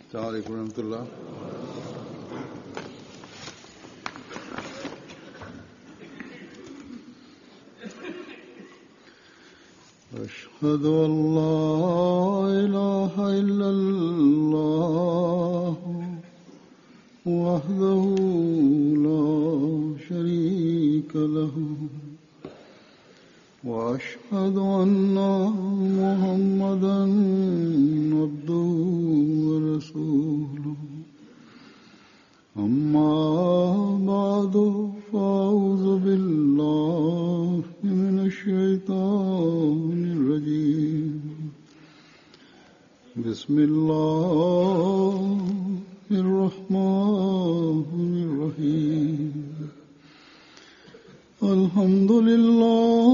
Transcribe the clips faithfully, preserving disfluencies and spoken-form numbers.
السلام عليكم ورحمة الله. أشهد أن لا إله إلا الله وحده لا شريك له وأشهد أن محمدًا عبده ورسوله أما بعد فأعوذ بالله من الشيطان الرجيم بسم الله الرحمن الرحيم الحمد لله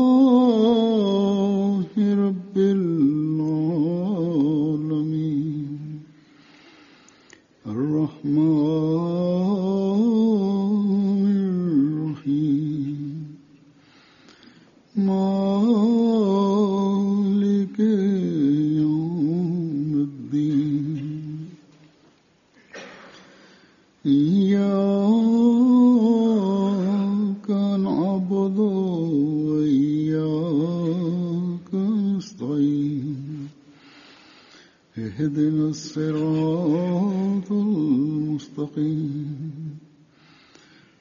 رب العالمين الرحمن الرحيم مالك يوم الدين إياك نعبد وإياك نستعين اهدنا الصراط المستقيم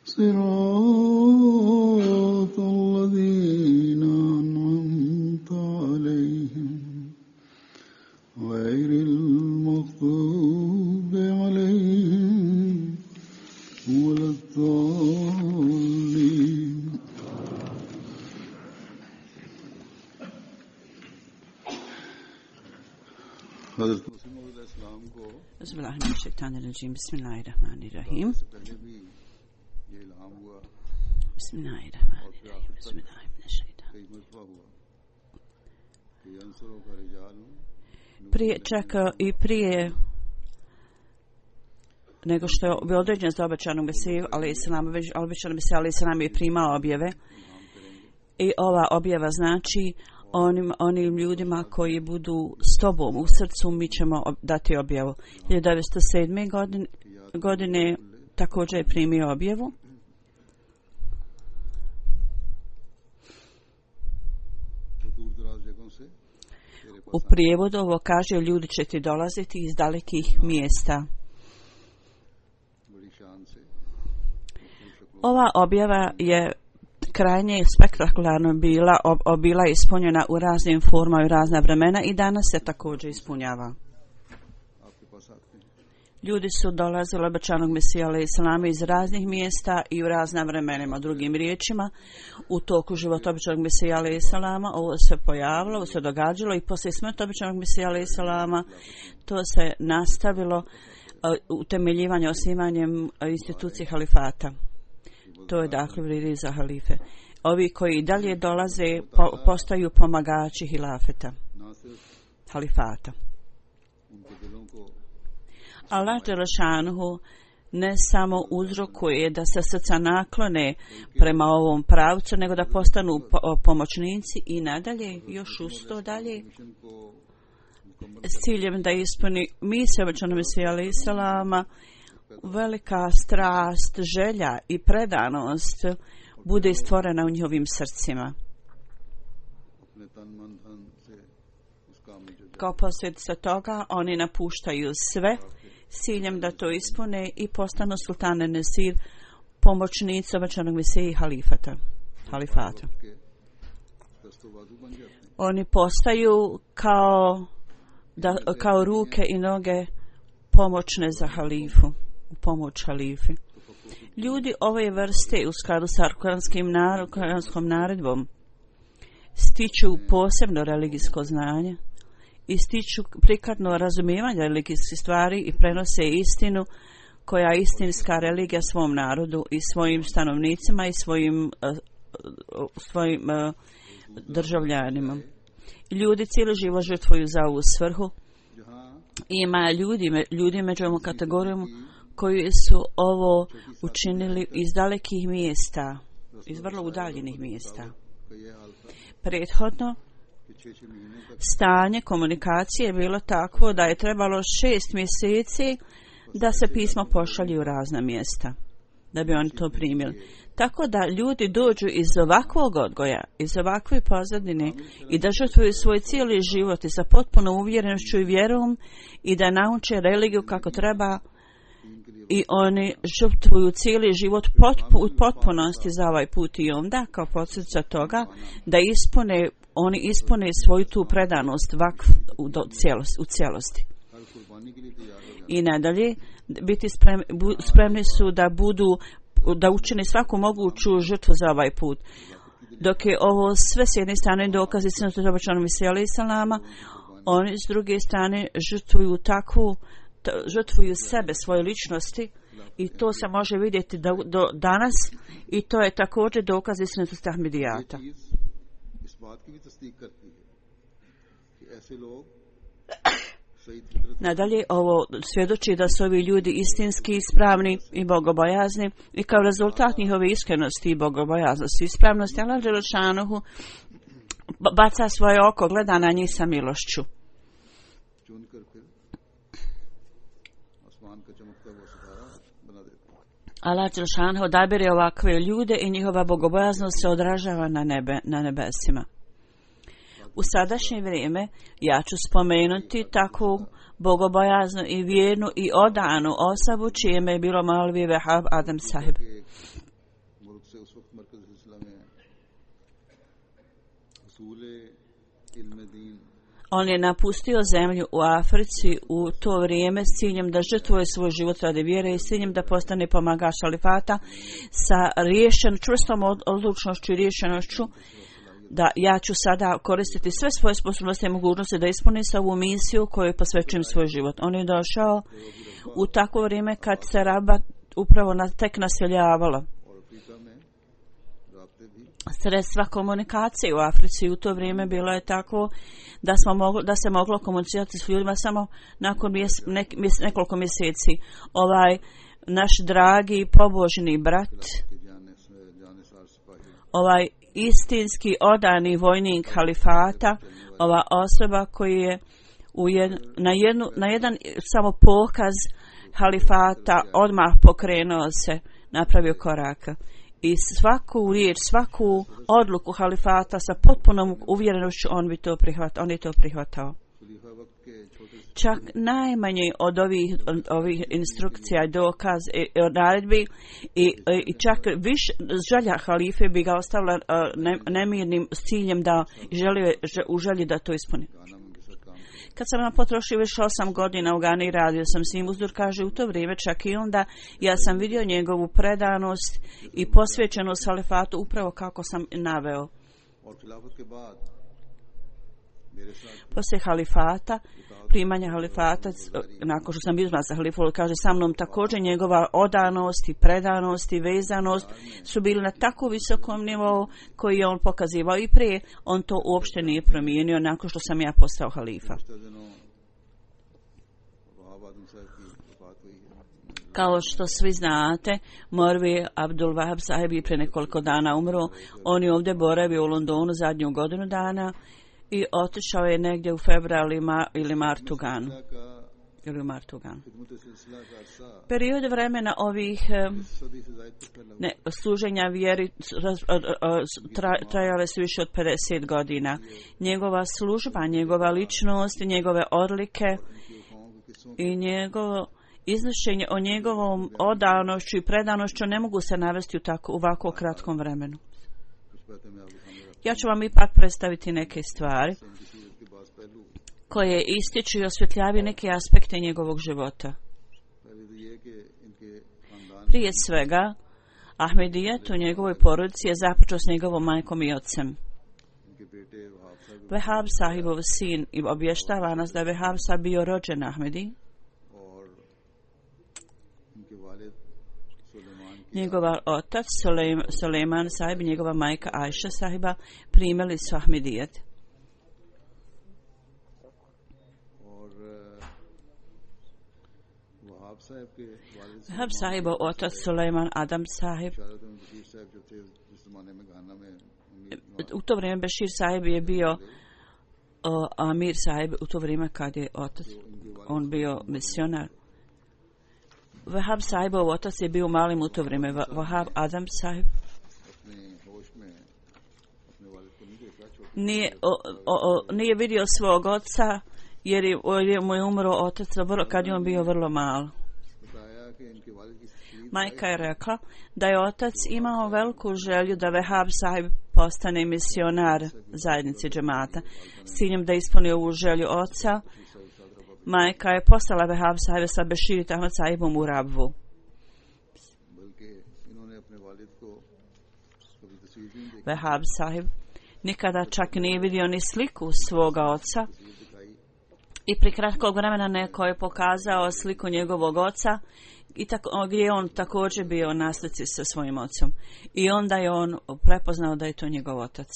صراط الذين أنعمت عليهم غير المغضوب عليهم ولا الضالين. بسم الله من الشيطان الرجيم بسم الله الرحمن الرحيم بسم الله الرحمن الرحيم بسم الله من الشيطان. Prije čak i prije nego što je bio određen za obećanog Mesiju, ali Islam, obećanog Mesija, ali Islam je primao objave. I ova objava znači onim, onim ljudima koji budu s tobom u srcu, mi ćemo dati objavu. hiljadu devetsto sedme. godine, godine također je primio objavu. U prijevodu ovo kaže: ljudi će ti dolaziti iz dalekih mjesta. Ova objava je krajnje spektakularno bila, ob, bila ispunjena u raznim formama i razna vremena i danas se također ispunjava. Ljudi su dolazili obećanog Mesija alejhi selam iz raznih mjesta i u razna vremenima. Drugim riječima, u toku života obećanog Mesija alejhi selama ovo se pojavilo, ovo se događalo i poslije smrti obećanog Mesija alejhi selama to se nastavilo uh, utemeljivanje, osnivanjem institucije halifata. To je dakle vrijedi za halife. Ovi koji dalje dolaze po, postaju pomagači hilafeta, halifata. Allah dželešanuhu ne samo uzrokuje da se srca naklone prema ovom pravcu, nego da postanu po, pomoćnici i nadalje, još usto dalje, s ciljem da ispuni misiju obećanog Mesija alejhi selama, velika strast, želja i predanost bude stvorena u njihovim srcima. Kao posljedica toga oni napuštaju sve s ciljem da to ispune i postanu sultane Nesir, pomoćnici obećanog Mesije i halifata, halifata. Oni postaju kao, da, kao ruke i noge pomoćne za halifu, u pomoć halifi. Ljudi ove vrste u skladu sa kuranskom naredbom stiču posebno religijsko znanje i stiču prikladno razumijevanje religijskih stvari i prenose istinu koja je istinska religija svom narodu i svojim stanovnicima i svojim, uh, svojim uh, državljanima. Ljudi cijeli život žrtvuju za ovu svrhu. Ima ljudi, ljudi među ovom kategorijom koji su ovo učinili iz dalekih mjesta, iz vrlo udaljenih mjesta. Prethodno Stanje komunikacije je bilo takvo da je trebalo šest mjeseci da se pismo pošalje u razna mjesta, da bi oni to primili. Tako da ljudi dođu iz ovakvog odgoja, iz ovakve pozadine i da žrtvuju svoj cijeli život i sa potpunom uvjerenošću i vjerom i da nauče religiju kako treba i oni žrtvuju cijeli život potpu, u potpunosti za ovaj put i onda kao posljedica toga da ispune, oni ispune svoju tu predanost vakf u, do, cijelost, u cijelosti. I nadalje biti spremni, bu, spremni su da budu da učine svaku moguću žrtvu za ovaj put. Dok je ovo sve s jedne strane dokazi sunneta obećanog Mesija salama, oni s druge strane žrtvuju takvu, t, žrtvuju sebe, svoje ličnosti i to se može vidjeti do, do danas i to je također dokaz istinitosti Ahmedijata. Nadalje, ovo svjedoči da su ovi ljudi istinski, ispravni i bogobojazni i kao rezultat njihove iskrenosti i bogobojaznosti i ispravnosti Allah dželešanohu baca svoje oko, gleda na njih sa milošću. Allah dželešanohu odabire ovakve ljude i njihova bogobojaznost se odražava na, nebe, na nebesima. U sadašnje vrijeme ja ću spomenuti takvu bogobojaznu i vjernu i odanu osobu čije ime je bilo Maulvi Vehab Adam Sahib. On je napustio zemlju u Africi u to vrijeme s ciljem da žrtvuje svoj život radi vjere i s ciljem da postane pomagač halifata sa riješen, čvrstom odlučnošću i riješenošću da ja ću sada koristiti sve svoje sposobnosti i mogućnosti da ispunim ovu misiju koju posvećujem svoj život. On je došao u takvo vrijeme kad se Rabat upravo na, tek naseljavalo. Sredstva komunikacije u Africi u to vrijeme bilo je tako da, smo mogli, da se moglo komunicirati s ljudima samo nakon mjes, ne, mjes, nekoliko mjeseci. Ovaj naš dragi pobožni brat, ovaj istinski odani vojnik halifata, ova osoba koji je u jed, na, jednu, na jedan samo pokaz halifata odmah pokrenuo se, napravio koraka. I svaku riječ, svaku odluku halifata sa potpunom uvjerenošću on bi to prihvatao, on je to prihvatao. Čak najmanje od ovih, od ovih instrukcija, dokaz i naredbi i, i čak više želja halife bi ga ostavila ne, nemirnim s ciljem da želi, u želji da to ispuni. Kad sam nam potrošio više osam godina u Gani, radio sam s njim uzdur, kaže u to vrijeme čak i onda ja sam vidio njegovu predanost i posvećenost halifatu upravo kako sam naveo. Poslije halifata, primanja halifata, nakon što sam izbran za halifu, kaže sa mnom također njegova odanost i predanost i vezanost su bili na tako visokom nivou koji je on pokazivao i prije, on to uopšte nije promijenio nakon što sam ja postao halifa. Kao što svi znate, Morvi Abdul Wahab Sahib je pre nekoliko dana umro, on je ovdje boravio u Londonu zadnju godinu dana i otišao je negdje u februaru ili, ma, ili martu Ganu. Ili u martu Ganu. Period vremena ovih ne, služenja vjeri tra, trajale su više od pedeset godina. Njegova služba, njegova ličnost, njegove odlike i njegovo iznošenje o njegovom odanošću i predanošću ne mogu se navesti u tako u ovako kratkom vremenu. Ja ću vam ipak predstaviti neke stvari koje ističu i osvjetljavaju neke aspekte njegovog života. Prije svega, Ahmedijet u njegovoj porodici je započeo s njegovom majkom i ocem. Vehab Sahibov sin i obještava nas da je Vehab Sahib bio rođen Ahmedi. Njegova otac Suleiman Sahib i njegova majka Ajša Sahiba primili su Ahmedijet. Vehab Sahibov otac Suleiman Adam Sahib. U to vrijeme Bešir Sahib je bio o, Amir Sahib u to vrijeme kad je otac, on bio misionar. Wahab Sahibov otac je bio malim u to vrijeme. Wahab Adam Sahib nije, o, o, o, nije vidio svog oca jer je, jer mu je umro otac kad je on bio vrlo mal. Majka je rekla da je otac imao veliku želju da Wahab Sahib postane misionar zajednici džemata. S ciljem da ispuni ovu želju oca, majka je poslala Wahab Sahiba sa Bashir Ahmad Sahibom u Rabvu. Wahab Sahib nikada čak nije vidio ni sliku svoga oca i pri kratkog vremena neko je pokazao sliku njegovog oca i tako, gdje je on također bio na slici sa svojim ocom. I onda je on prepoznao da je to njegov otac.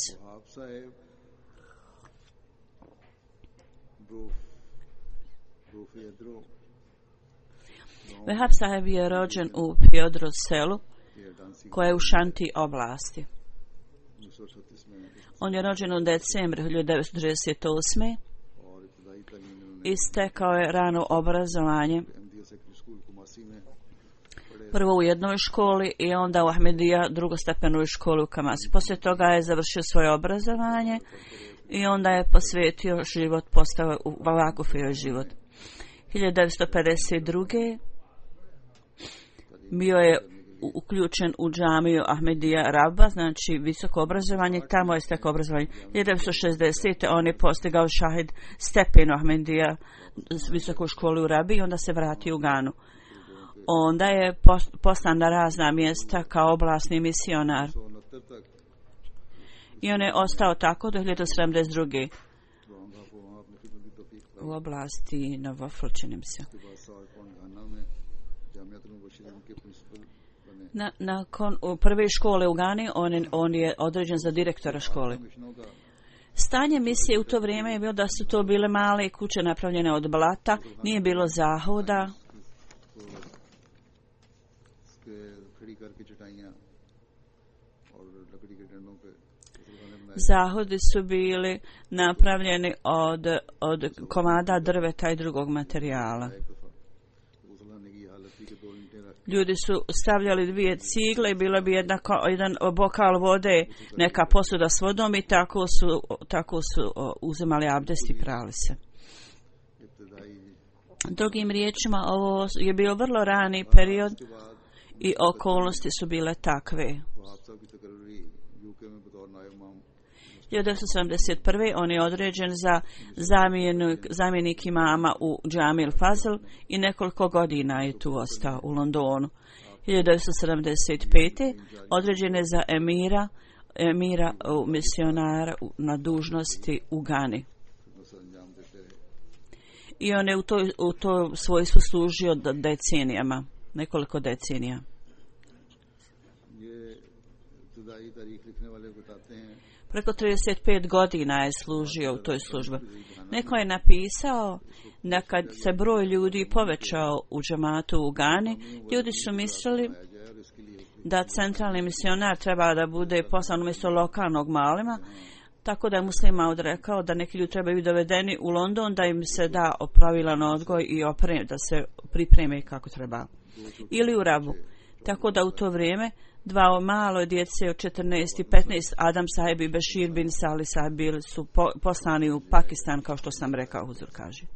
Wahab Sahib je rođen u Piodro selu koje je u Šanti oblasti. On je rođen u decembru hiljadu devetsto trideset osme i stekao je rano obrazovanje. Prvo u jednoj školi i onda u Ahmedija drugostepenoj školi u Kamasi. Poslije toga je završio svoje obrazovanje i onda je posvetio život, postao u Vakufio život. hiljadu devetsto pedeset druge bio je uključen u džamiju Ahmedija Rabba, znači visoko obrazovanje, tamo je stekao obrazovanje. hiljadu devetsto šezdesete on je postigao šahid stepen Ahmedija visoku školu u Rabi i onda se vratio u Ganu. Onda je poslan na razna mjesta kao oblasni misionar. I on je ostao tako do hiljadu sedamdeset druge u oblasti Novofl, činim se. Na, nakon prve škole u Gani on je, on je određen za direktora škole. Stanje misije u to vrijeme je bilo da su to bile male kuće napravljene od blata, nije bilo zahoda. Zahodi su bili napravljeni od, od komada drveta i drugog materijala. Ljudi su stavljali dvije cigle i bilo bi jedna, jedan bokal vode, neka posuda s vodom i tako su, tako su uzimali abdest i prali se. Drugim riječima, ovo je bio vrlo rani period i okolnosti su bile takve. hiljadu devetsto sedamdeset prve on je određen za zamjenik, zamjenik imama u Džami al-Fazl i nekoliko godina je tu ostao u Londonu. hiljadu devetsto sedamdeset pete određen je za emira, emira misionara na dužnosti u Gani. I on je u to, u to svojstvu služio decenijama, nekoliko decenija. Preko trideset pet godina je služio u toj službi. Neko je napisao da kad se broj ljudi povećao u džematu u Gani, ljudi su mislili da centralni misionar treba da bude poslan umjesto lokalnog malima, tako da je Muslima odrekao da neki ljudi trebaju dovedeni u London da im se da pravilan odgoj i oprem, da se pripreme kako treba. Ili u Rabu. Tako da u to vrijeme dva malo djece od četrnaest i petnaest, Adam Sahib i Bashir bin Salih Sahib bili su po, poslani u Pakistan, kao što sam rekao, Huzur kaže.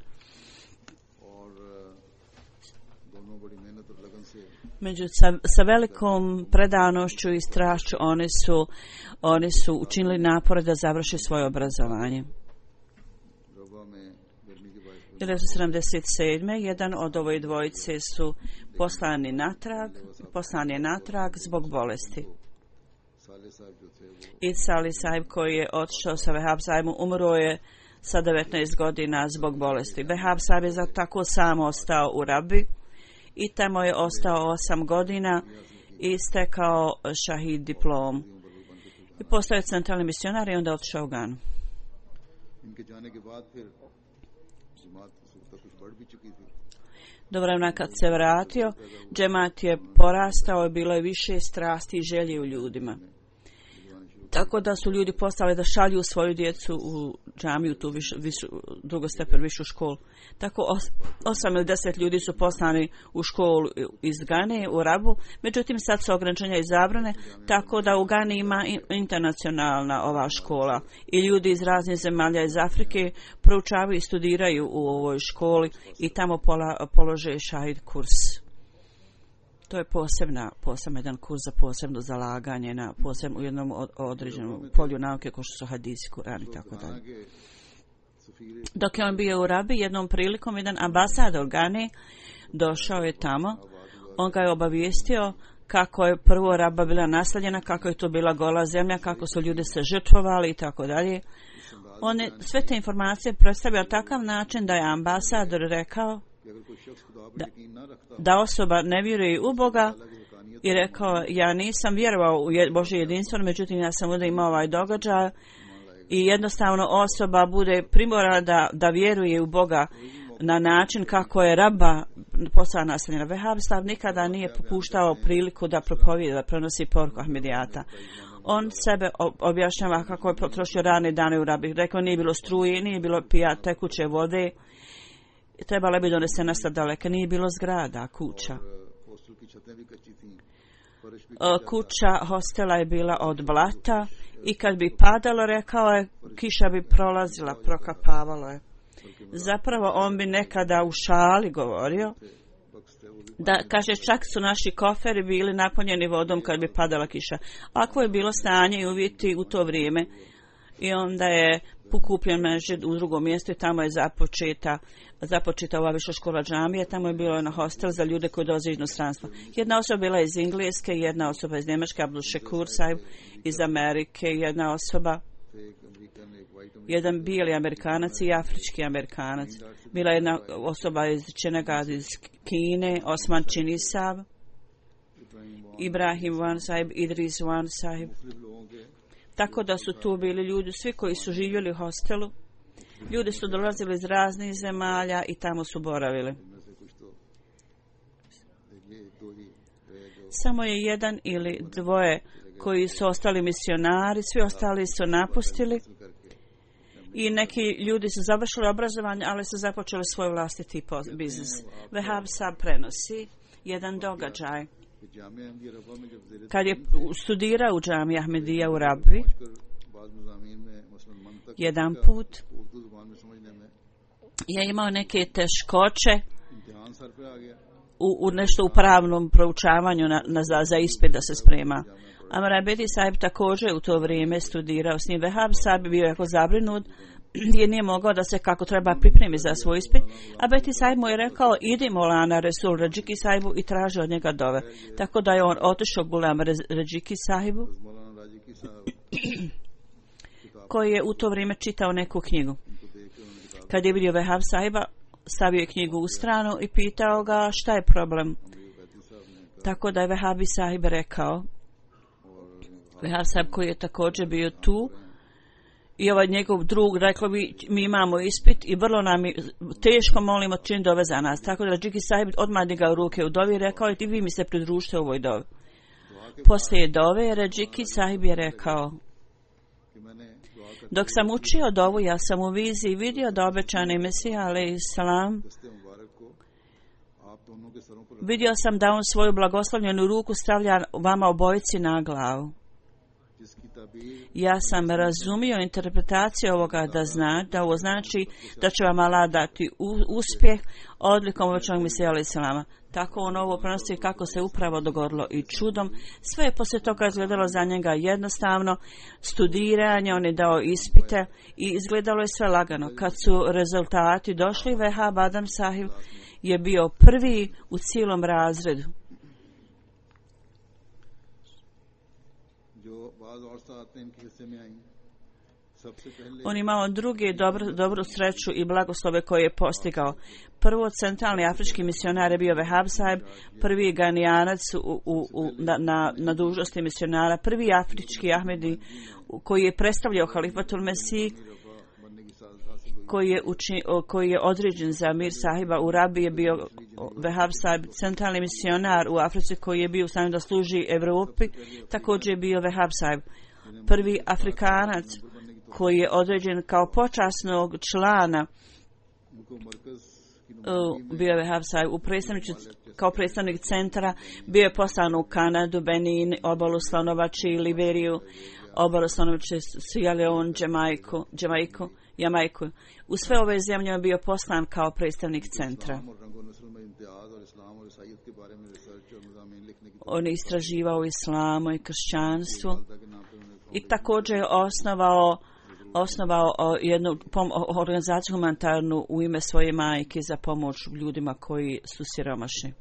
Među sa, sa velikom predanošću i strašću oni su, oni su učinili napore da završe svoje obrazovanje. hiljadu devetsto sedamdeset sedme jedan od ovoj dvojice su poslani natrag, poslan je natrag zbog bolesti. I Salih Sahib koji je otišao sa Wahab Sahibom umro je sa devetnaest godina zbog bolesti. Wahab Sahib je za tako samo ostao u Rabi i tamo je ostao osam godina i stekao šahid diplom. I postao je centralni misionar i onda otišao u Ganu. Do vremena kad se vratio, džemat je porastao i bilo je više strasti i želje u ljudima. Tako da su ljudi postali da šalju svoju djecu u džamiju, tu viš, višu, drugostepen višu školu. Tako os, osam ili deset ljudi su poslani u školu iz Gane, u Rabu, međutim sad su ograničenja i zabrane, tako da u Gani ima internacionalna ova škola i ljudi iz raznih zemalja iz Afrike proučavaju i studiraju u ovoj školi i tamo pola, polože šahid kurs. To je posebna, posebno jedan kurs za posebno zalaganje na posebno u jednom određenom polju nauke kao što su hadisi, Kur'an i tako dalje. Dok je on bio u Rabi, jednom prilikom jedan ambasador Gane došao je tamo. On ga je obavijestio kako je prvo Raba bila nasleđena, kako je to bila gola zemlja, kako su ljudi se žrtvovali i tako dalje. On je sve te informacije predstavio takav način da je ambasador rekao Da, da osoba ne vjeruje u Boga i rekao, ja nisam vjerovao u Božje jedinstvo, međutim ja sam ovdje imao ovaj događaj i jednostavno osoba bude primorana da, da vjeruje u Boga na način kako je Raba postala naseljena. Vehab Saab nikada nije popuštao priliku da propovijeda, da prenosi poruku Ahmedijata. On sebe objašnjava kako je potrošio rane dane u Rabi. Rekao, nije bilo struje, nije bilo pija tekuće vode, trebala bi donesena sa daleka, nije bilo zgrada, kuća. Kuća hostela je bila od blata i kad bi padalo, rekao je, kiša bi prolazila, prokapavalo je. Zapravo on bi nekada u šali govorio da, kaže, čak su naši koferi bili napunjeni vodom kad bi padala kiša. Ako je bilo stanje i uvjeti u to vrijeme, i onda je pokupljen mežid u drugom mjestu i tamo je započeta, započeta ova viša škola džamije, tamo je bilo na hostel za ljude koji dolaze iz inostranstva. Jedna osoba bila iz Engleske, jedna osoba iz Njemačke, Abdul Shakur Saib iz Amerike, jedna osoba, jedan bijeli Amerikanac i afrički Amerikanac. Bila jedna osoba iz Čenegad iz Kine, Osman Činisab, Ibrahim Wan Saib, Idris Wan Saib. Tako da su tu bili ljudi, svi koji su živjeli u hostelu. Ljudi su dolazili iz raznih zemalja i tamo su boravili. Samo je jedan ili dvoje koji su ostali misionari, svi ostali su napustili i neki ljudi su završili obrazovanje, ali su započeli svoj vlastiti biznis. Vehab Saab prenosi jedan događaj. Kad je studirao u džamiji Ahmedija u Rabbi, jedan put je imao neke teškoće u, u nešto u pravnom proučavanju na, na, za, za ispit da se sprema. Amar Beti Saib također u to vrijeme studirao s njim. Vehab Saab bio jako zabrinut jer nije mogao da se kako treba pripremi za svoj ispit, a Beti Saib mu je rekao, idi Molana Resul Rajiki Saibu i traži od njega dove. Tako da je on otišao Gulam Rajiki Sahibu, koji je u to vrijeme čitao neku knjigu. Kad je vidio Vehab Sahiba, stavio je knjigu u stranu i pitao ga šta je problem. Tako da je Vehabi Sahib rekao, Vehab Sahib koji je također bio tu, i ovaj njegov drug rekao bi, mi imamo ispit i vrlo nam je teško, molimo čin dove za nas. Tako da Rajiki Sahib odmah digao ruke u dovi i rekao, i vi mi se pridružite ovoj dovi. Poslije dove Rajiki Sahib je rekao, dok sam učio dovu, ja sam u viziji vidio da obećani Mesija alejhi salam, vidio sam da on svoju blagoslovljenu ruku stavlja vama obojici na glavu. Ja sam razumio interpretaciju ovoga da zna, da ovo znači da će vam Allah dati uspjeh odlikom obećanog Mesija alejhi salama. Tako on ovo prenosi kako se upravo dogodilo i čudom. Sve je poslije toga izgledalo za njega jednostavno, studiranje, on je dao ispite i izgledalo je sve lagano. Kad su rezultati došli, Vehab Adam Sahib je bio prvi u cijelom razredu. On imao drugi dobru, dobru sreću i blagoslove koje je postigao. Prvo, centralni afrički misionar je bio Vehab Sahib, prvi ganijanac u, u, u, na, na, na dužnosti misionara, prvi afrički Ahmedi koji je predstavljao halifatul Mesih, koji je, uči, koji je određen za Mir Sahiba u Rabi je bio Vehab Sahib, centralni misionar u Africi koji je bio u stanju da služi Evropi, također je bio Vehab Sahib. prvi Afrikanac koji je određen kao počasnog člana bio je Wahab Sahib u predstavnici kao predstavnik centra, bio je poslan u Kanadu, Benin, obalu Slonovači, Liberiju, obalu Slonovači, Sierra Leone, Jamaiku, Jamaiku, Jamaiku. U sve ove zemlje je bio poslan kao predstavnik centra. On je istraživao islamu i kršćanstvo i također je osnovao osnovao jednu pom- organizaciju humanitarnu u ime svoje majke za pomoć ljudima koji su siromašni.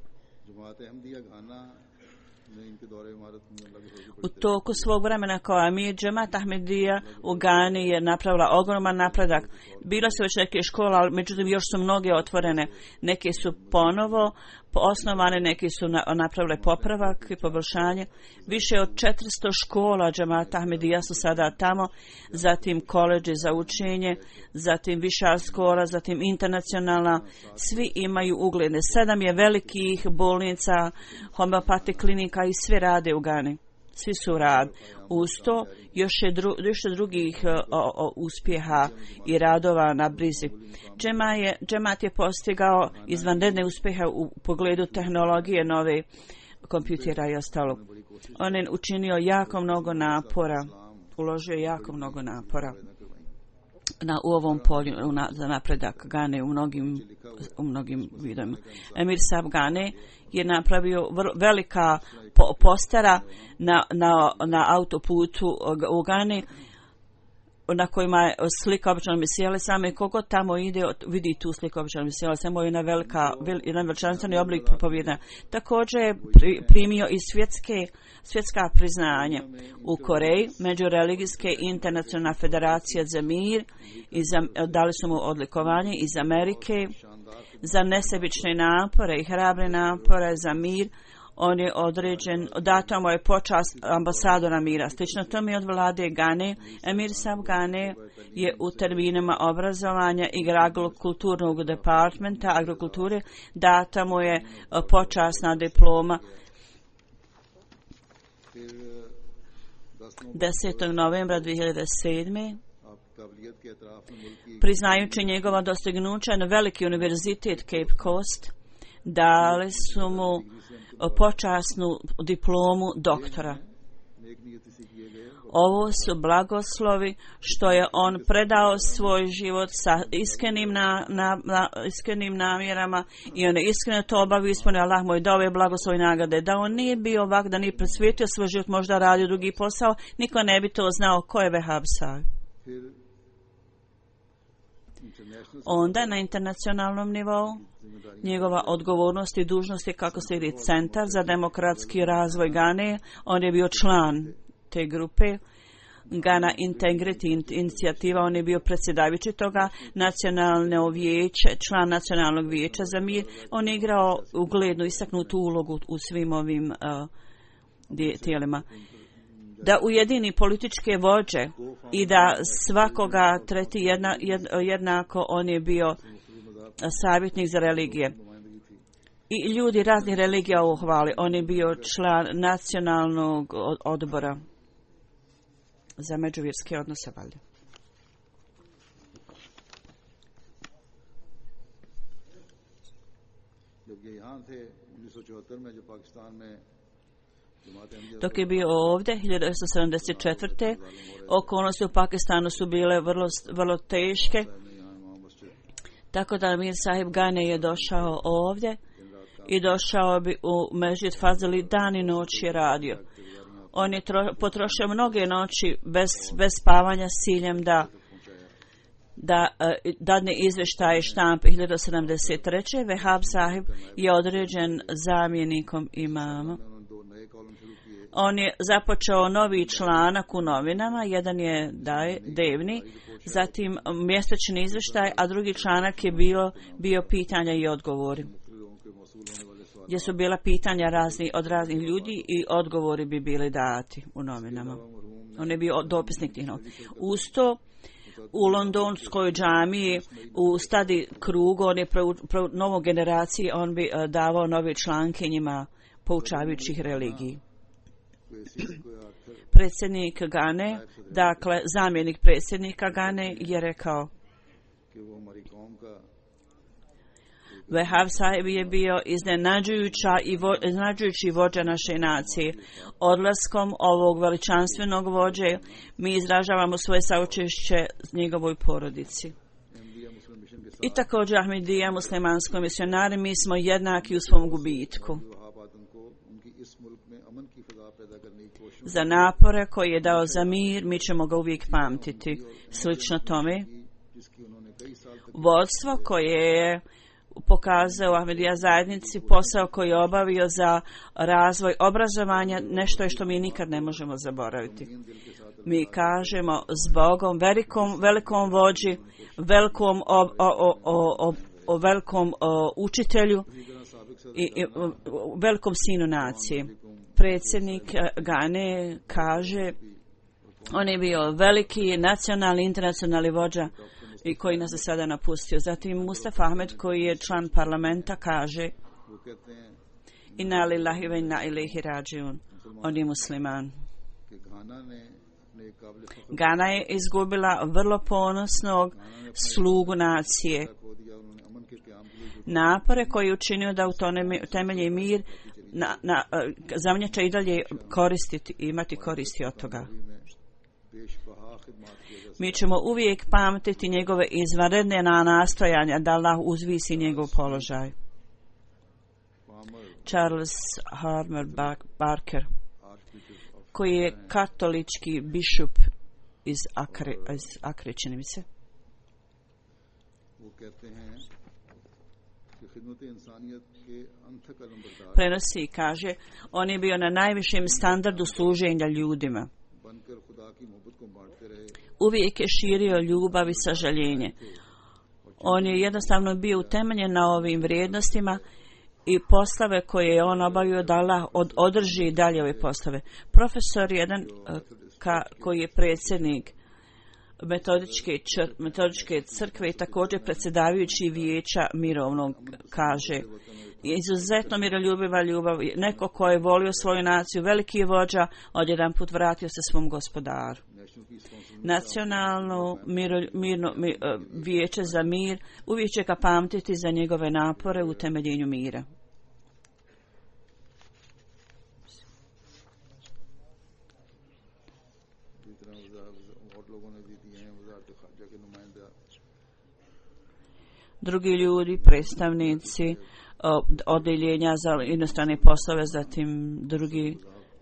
U toku svog vremena kao Amir, Džemat Ahmedija u Gani je napravila ogroman napredak. Bilo su već neke škole, ali međutim još su mnoge otvorene. Neke su ponovo osnovane, neke su na, napravile popravak i poboljšanje. Više od četiristo škola Džemat Ahmedija su sada tamo, zatim koleđe za učenje, zatim viša škola, zatim internacionalna. Svi imaju ugledne. Sedam je velikih bolnica, homeopati klinika i sve rade u Gani. Svi su rad. Uz to još je dru, još je drugih o, o, uspjeha i radova na brizi. Džema je, Džemat je postigao izvanredne uspjehe u pogledu tehnologije, nove kompjutera i ostalo. On je učinio jako mnogo napora, uložio jako mnogo napora na, u ovom polju na, za napredak Gane u mnogim, u mnogim vidovima. Emir Sahib Gane je napravio vrlo, velika po, postera na, na, na autoputu u Gani na kojima je slika običnog Mesija Same i kogo tamo ide vidi tu sliku običnog Mesija Same, jedna velika jedan veličanstveni oblik propovjedanja. Također je pri, primio i svjetske svjetska priznanja u Koreji, Međureligijske internacionalna federacija za mir i za, dali su mu odlikovanje iz Amerike za nesebične napore i hrabre napore za mir. On je određen, dato mu je počast ambasadora mira. Slično tome od vlade Gane, Emir Sahib Gane je u terminima obrazovanja i agrokulturnog departmenta agrokulture, data mu je počasna diploma desetog novembra dvije hiljade sedme. Priznajući njegova dostignuća na veliki univerzitet Cape Coast, dali su mu počasnu diplomu doktora. Ovo su blagoslovi što je on predao svoj život sa iskrenim, na, na, na, iskrenim namjerama i on je iskreno to obavio, ispunio. Allah mu je dao ove blagoslovi nagrade. Da on nije bio ovak, da nije presvijetio svoj život, možda radio drugi posao, niko ne bi to znao ko je Wahab Sahib. Onda na internacionalnom nivou njegova odgovornost i dužnost je kako se ide Centar za demokratski razvoj Gane. On je bio član te grupe Ghana Integrity inicijativa, on je bio predsjedavajući toga nacionalno vijeće, član nacionalnog vijeća za mir. On je igrao uglednu istaknutu ulogu u svim ovim uh, tijelima. Da ujedini političke vođe i da svakoga treti jedna, jed, jednako. On je bio savjetnik za religije i ljudi raznih religija uhvali. On je bio član nacionalnog odbora za međuvjerske odnose. Valje. Dok je bio ovdje hiljadu devetsto sedamdeset četvrte. okolnosti u Pakistanu su bile vrlo, vrlo teške, tako da Amir Sahib Gane je došao ovdje i došao bi u Mežid Fazili, dan i noć je radio. On je tro, potrošio mnoge noći bez, bez spavanja s ciljem da da uh, dadne izvještaje štampe. hiljadu sedamdeset treće. Wahab Sahib je određen zamjenikom imama. On je započeo novi članak u novinama, jedan je daj, devni, zatim mjesečni izvještaj, a drugi članak je bio, bio pitanja i odgovori, gdje su bila pitanja razni, od raznih ljudi i odgovori bi bili dati u novinama. On je bio dopisnik tih novina. Uz to, u londonskoj džamiji, u stadi krugu, on je pre, pre novoj generaciji, on bi uh, davao nove članke njima poučavajućih religiji. predsjednik Gane, dakle zamjenik predsjednika Gane, je rekao: Vehab Sahib je bio iznenađujuća i vo, iznenađujući vođa naše nacije. Odlaskom ovog veličanstvenog vođe mi izražavamo svoje saučešće njegovoj porodici. I također Ahmedija, muslimanskoj misionari, mi smo jednaki u svom gubitku. Za napore koje je dao za mir, mi ćemo ga uvijek pamtiti. Slično tome, vodstvo koje je pokazao Ahmedija zajednici, posao koji je obavio za razvoj obrazovanja, nešto je što mi nikad ne možemo zaboraviti. Mi kažemo zbogom, velikom, velikom vođi, velikom, o, o, o, o, o velikom o, učitelju i, i o, velikom sinu nacije. Predsjednik Gane kaže, on je bio veliki nacionalni, internacionalni vođa i koji nas je sada napustio. Zatim Mustafa Ahmed, koji je član parlamenta, kaže: Inna lillahi wa inna ilaihi rađiun. On je musliman. Gana je izgubila vrlo ponosnog slugu nacije. Napore koji je učinio da utemelji mir, na, na, za mnje će i dalje koristiti, imati koristi od toga. Mi ćemo uvijek pamtiti njegove izvanredne nastojanja da Allah uzvisi njegov položaj. Charles Harmer Barker, koji je katolički bišup iz Akre, iz Akre, čini mi se. Prenosi i kaže, on je bio na najvišem standardu služenja ljudima. Uvijek je širio ljubav i sažaljenje. On je jednostavno bio utemeljen na ovim vrijednostima i poslove koje je on obavio da Allah od, održi dalje ove poslove. Profesor jedan ka, koji je predsjednik metodičke, čr, metodičke crkve i također predsjedavajući vijeća mirovnog, kaže: izuzetno miroljubiva ljubav, neko ko je volio svoju naciju, veliki je vođa, odjedan put vratio se svom gospodaru. Nacionalno miro, mirno, mir, vijeće za mir uvijek će ga pamtiti za njegove napore u temeljenju mira. Drugi ljudi, predstavnici odeljenja za inostrane poslove, zatim drugi,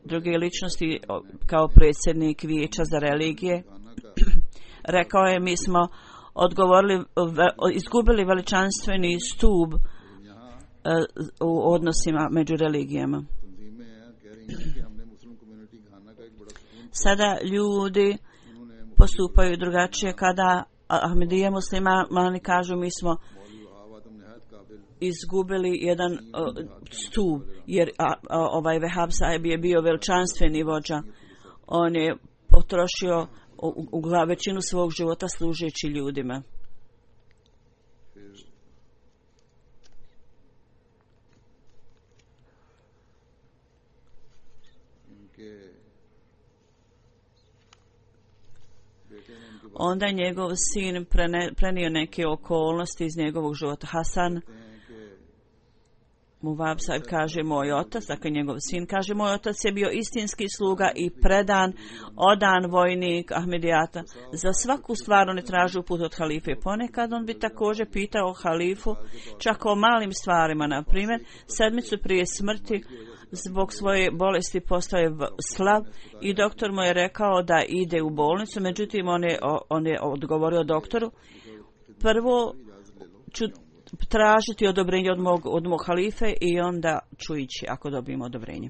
druge ličnosti kao predsjednik vijeća za religije, rekao je: mi smo odgovorili, izgubili veličanstveni stub u odnosima među religijama. Sada ljudi postupaju drugačije kada Ahmedija muslimani kažu: mi smo izgubili jedan uh, stup, jer a, a, ovaj Vehab Sahib je bio veličanstveni vođa. On je potrošio u, u glav, većinu svog života služeći ljudima. Onda je njegov sin prene, prenio neke okolnosti iz njegovog života. Hasan Muvab Sahib kaže: moj otac, dakle njegov sin, kaže: moj otac je bio istinski sluga i predan, odan vojnik Ahmedijata. Za svaku stvar on je tražio put od halife. Ponekad on bi također pitao halifu čak o malim stvarima. Na primjer, sedmicu prije smrti zbog svoje bolesti postao je slab i doktor mu je rekao da ide u bolnicu. Međutim, on je, on je odgovorio doktoru: prvo ću tražiti odobrenje od mog, od mog halife i onda ću ići ako dobijem odobrenje.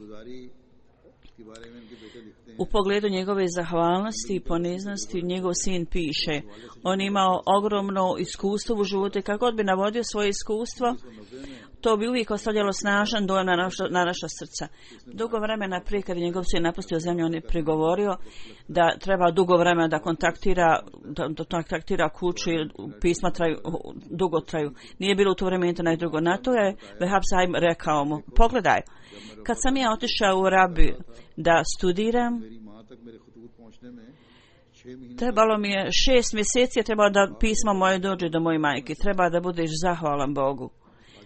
U pogledu njegove zahvalnosti i poniznosti njegov sin piše: on imao ogromno iskustvo u životu i kako god bi navodio svoje iskustvo, to bi uvijek ostavljalo snažan dojam na naša, na naša srca. Dugo vremena prije kad je njegov sin napustio zemlju, on je prigovorio da treba dugo vremena da kontaktira, da, da kontaktira kuću i pisma traju, dugo traju. Nije bilo u to vrijeme internet drugo. Na to je Vehab Sahib rekao mu, pogledaj, kad sam ja otišao u Arabiju da studiram, trebalo mi je šest mjeseci, je trebalo da pismo moje dođe do moje majke. Treba da budeš zahvalan Bogu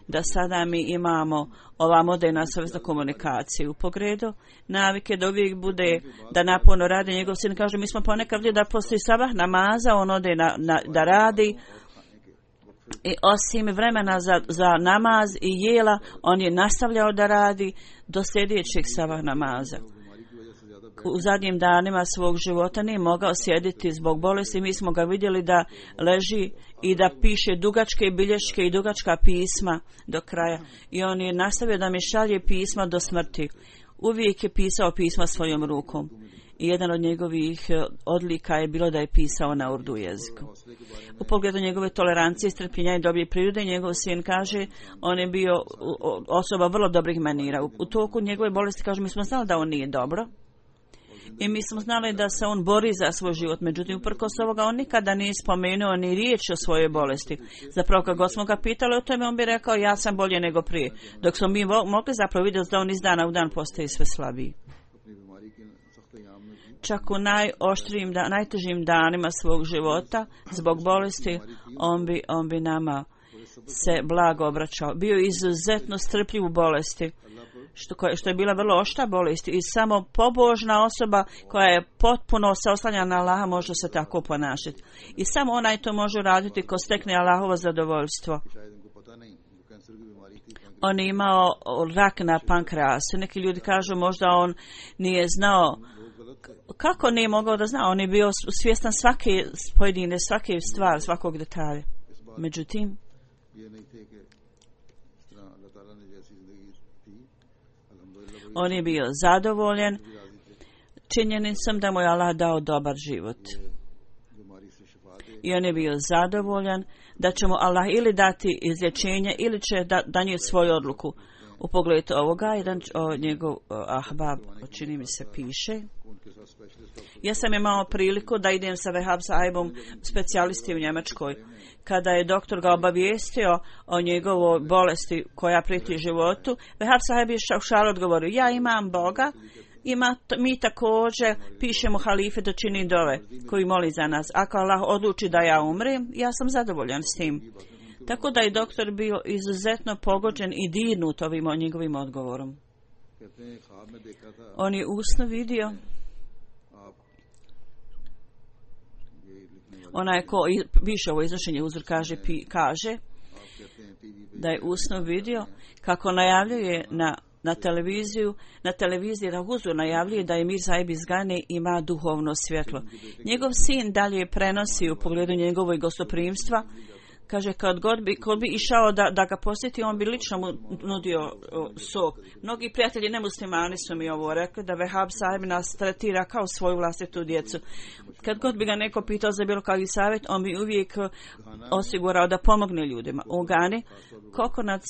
da sada mi imamo ova moderna sredstva komunikacije u pogledu navike da uvijek bude da naporno radi. Njegov sin kaže, mi smo ponekad vidjeli da postoji sabah namaza, on ode na, na, da radi i osim vremena za, za namaz i jela, on je nastavljao da radi do sljedećeg sabah namaza. U zadnjim danima svog života nije mogao sjediti zbog bolesti. Mi smo ga vidjeli da leži i da piše dugačke bilješke i dugačka pisma do kraja. I on je nastavio da mi šalje pisma do smrti. Uvijek je pisao pisma svojom rukom. I jedan od njegovih odlika je bilo da je pisao na urdu jeziku. U pogledu njegove tolerancije, strpljenja i dobre prirode, njegov sin kaže, on je bio osoba vrlo dobrih manira. U, u toku njegove bolesti, kaže, mi smo znali da on nije dobro. I mi smo znali da se on bori za svoj život, međutim, uprkos ovoga, on nikada nije spomenuo ni riječ o svojoj bolesti. Zapravo, kad god smo ga pitali o tome, on bi rekao, ja sam bolje nego prije. Dok smo mi mogli zapravo vidjeti da on iz dana u dan postaje sve slabiji. Čak u najoštrijim, da, najtežim danima svog života, zbog bolesti, on bi, on bi nama se blago obraćao. Bio izuzetno strpljiv u bolesti. Što, što je bila vrlo oštra bolest i samo pobožna osoba koja je potpuno se oslanja na Allaha može se tako ponašati. I samo onaj to može raditi ko stekne Allahovo zadovoljstvo. On je imao rak na pankreasu. Neki ljudi kažu možda on nije znao. Kako nije mogao da zna? On je bio svjestan svake pojedine, svake stvari, svakog detalja. Međutim, on je bio zadovoljan činjenicom da mu je Allah dao dobar život. I on je bio zadovoljan da će mu Allah ili dati izlječenje ili će da, danijeti svoju odluku. U pogledu ovoga, jedan o, njegov o, ahbab, čini mi se, piše. Ja sam imao priliku da idem sa Vehab Sahibom specijalisti u Njemačkoj. Kada je doktor ga obavijestio o njegovoj bolesti koja prijeti životu, Vehab Sahib je u šalu odgovorio, ja imam Boga, ima, mi također pišemo halife da čini dove koji moli za nas. Ako Allah odluči da ja umrem, ja sam zadovoljan s tim. Tako da je doktor bio izuzetno pogođen i dirnut ovim njegovim odgovorom. On je usno vidio onaj ko više ovo iznošenje uzor kaže, pi, kaže da je usno vidio kako najavljuje na, na televiziju, na televiziji da uzor najavljuje da je Mir Sahib iz Gane ima duhovno svjetlo. Njegov sin dalje prenosi u pogledu njegovog gostoprimstva. Kaže, kad god bi, kad bi išao da, da ga posjeti, on bi lično mu nudio o, sok. Mnogi prijatelji nemuslimani su mi ovo rekli, da Vehab Sahib nas tretira kao svoju vlastitu djecu. Kad god bi ga neko pitao za bilo kakvi savjet, on bi uvijek osigurao da pomogne ljudima. U Gani, kokonac,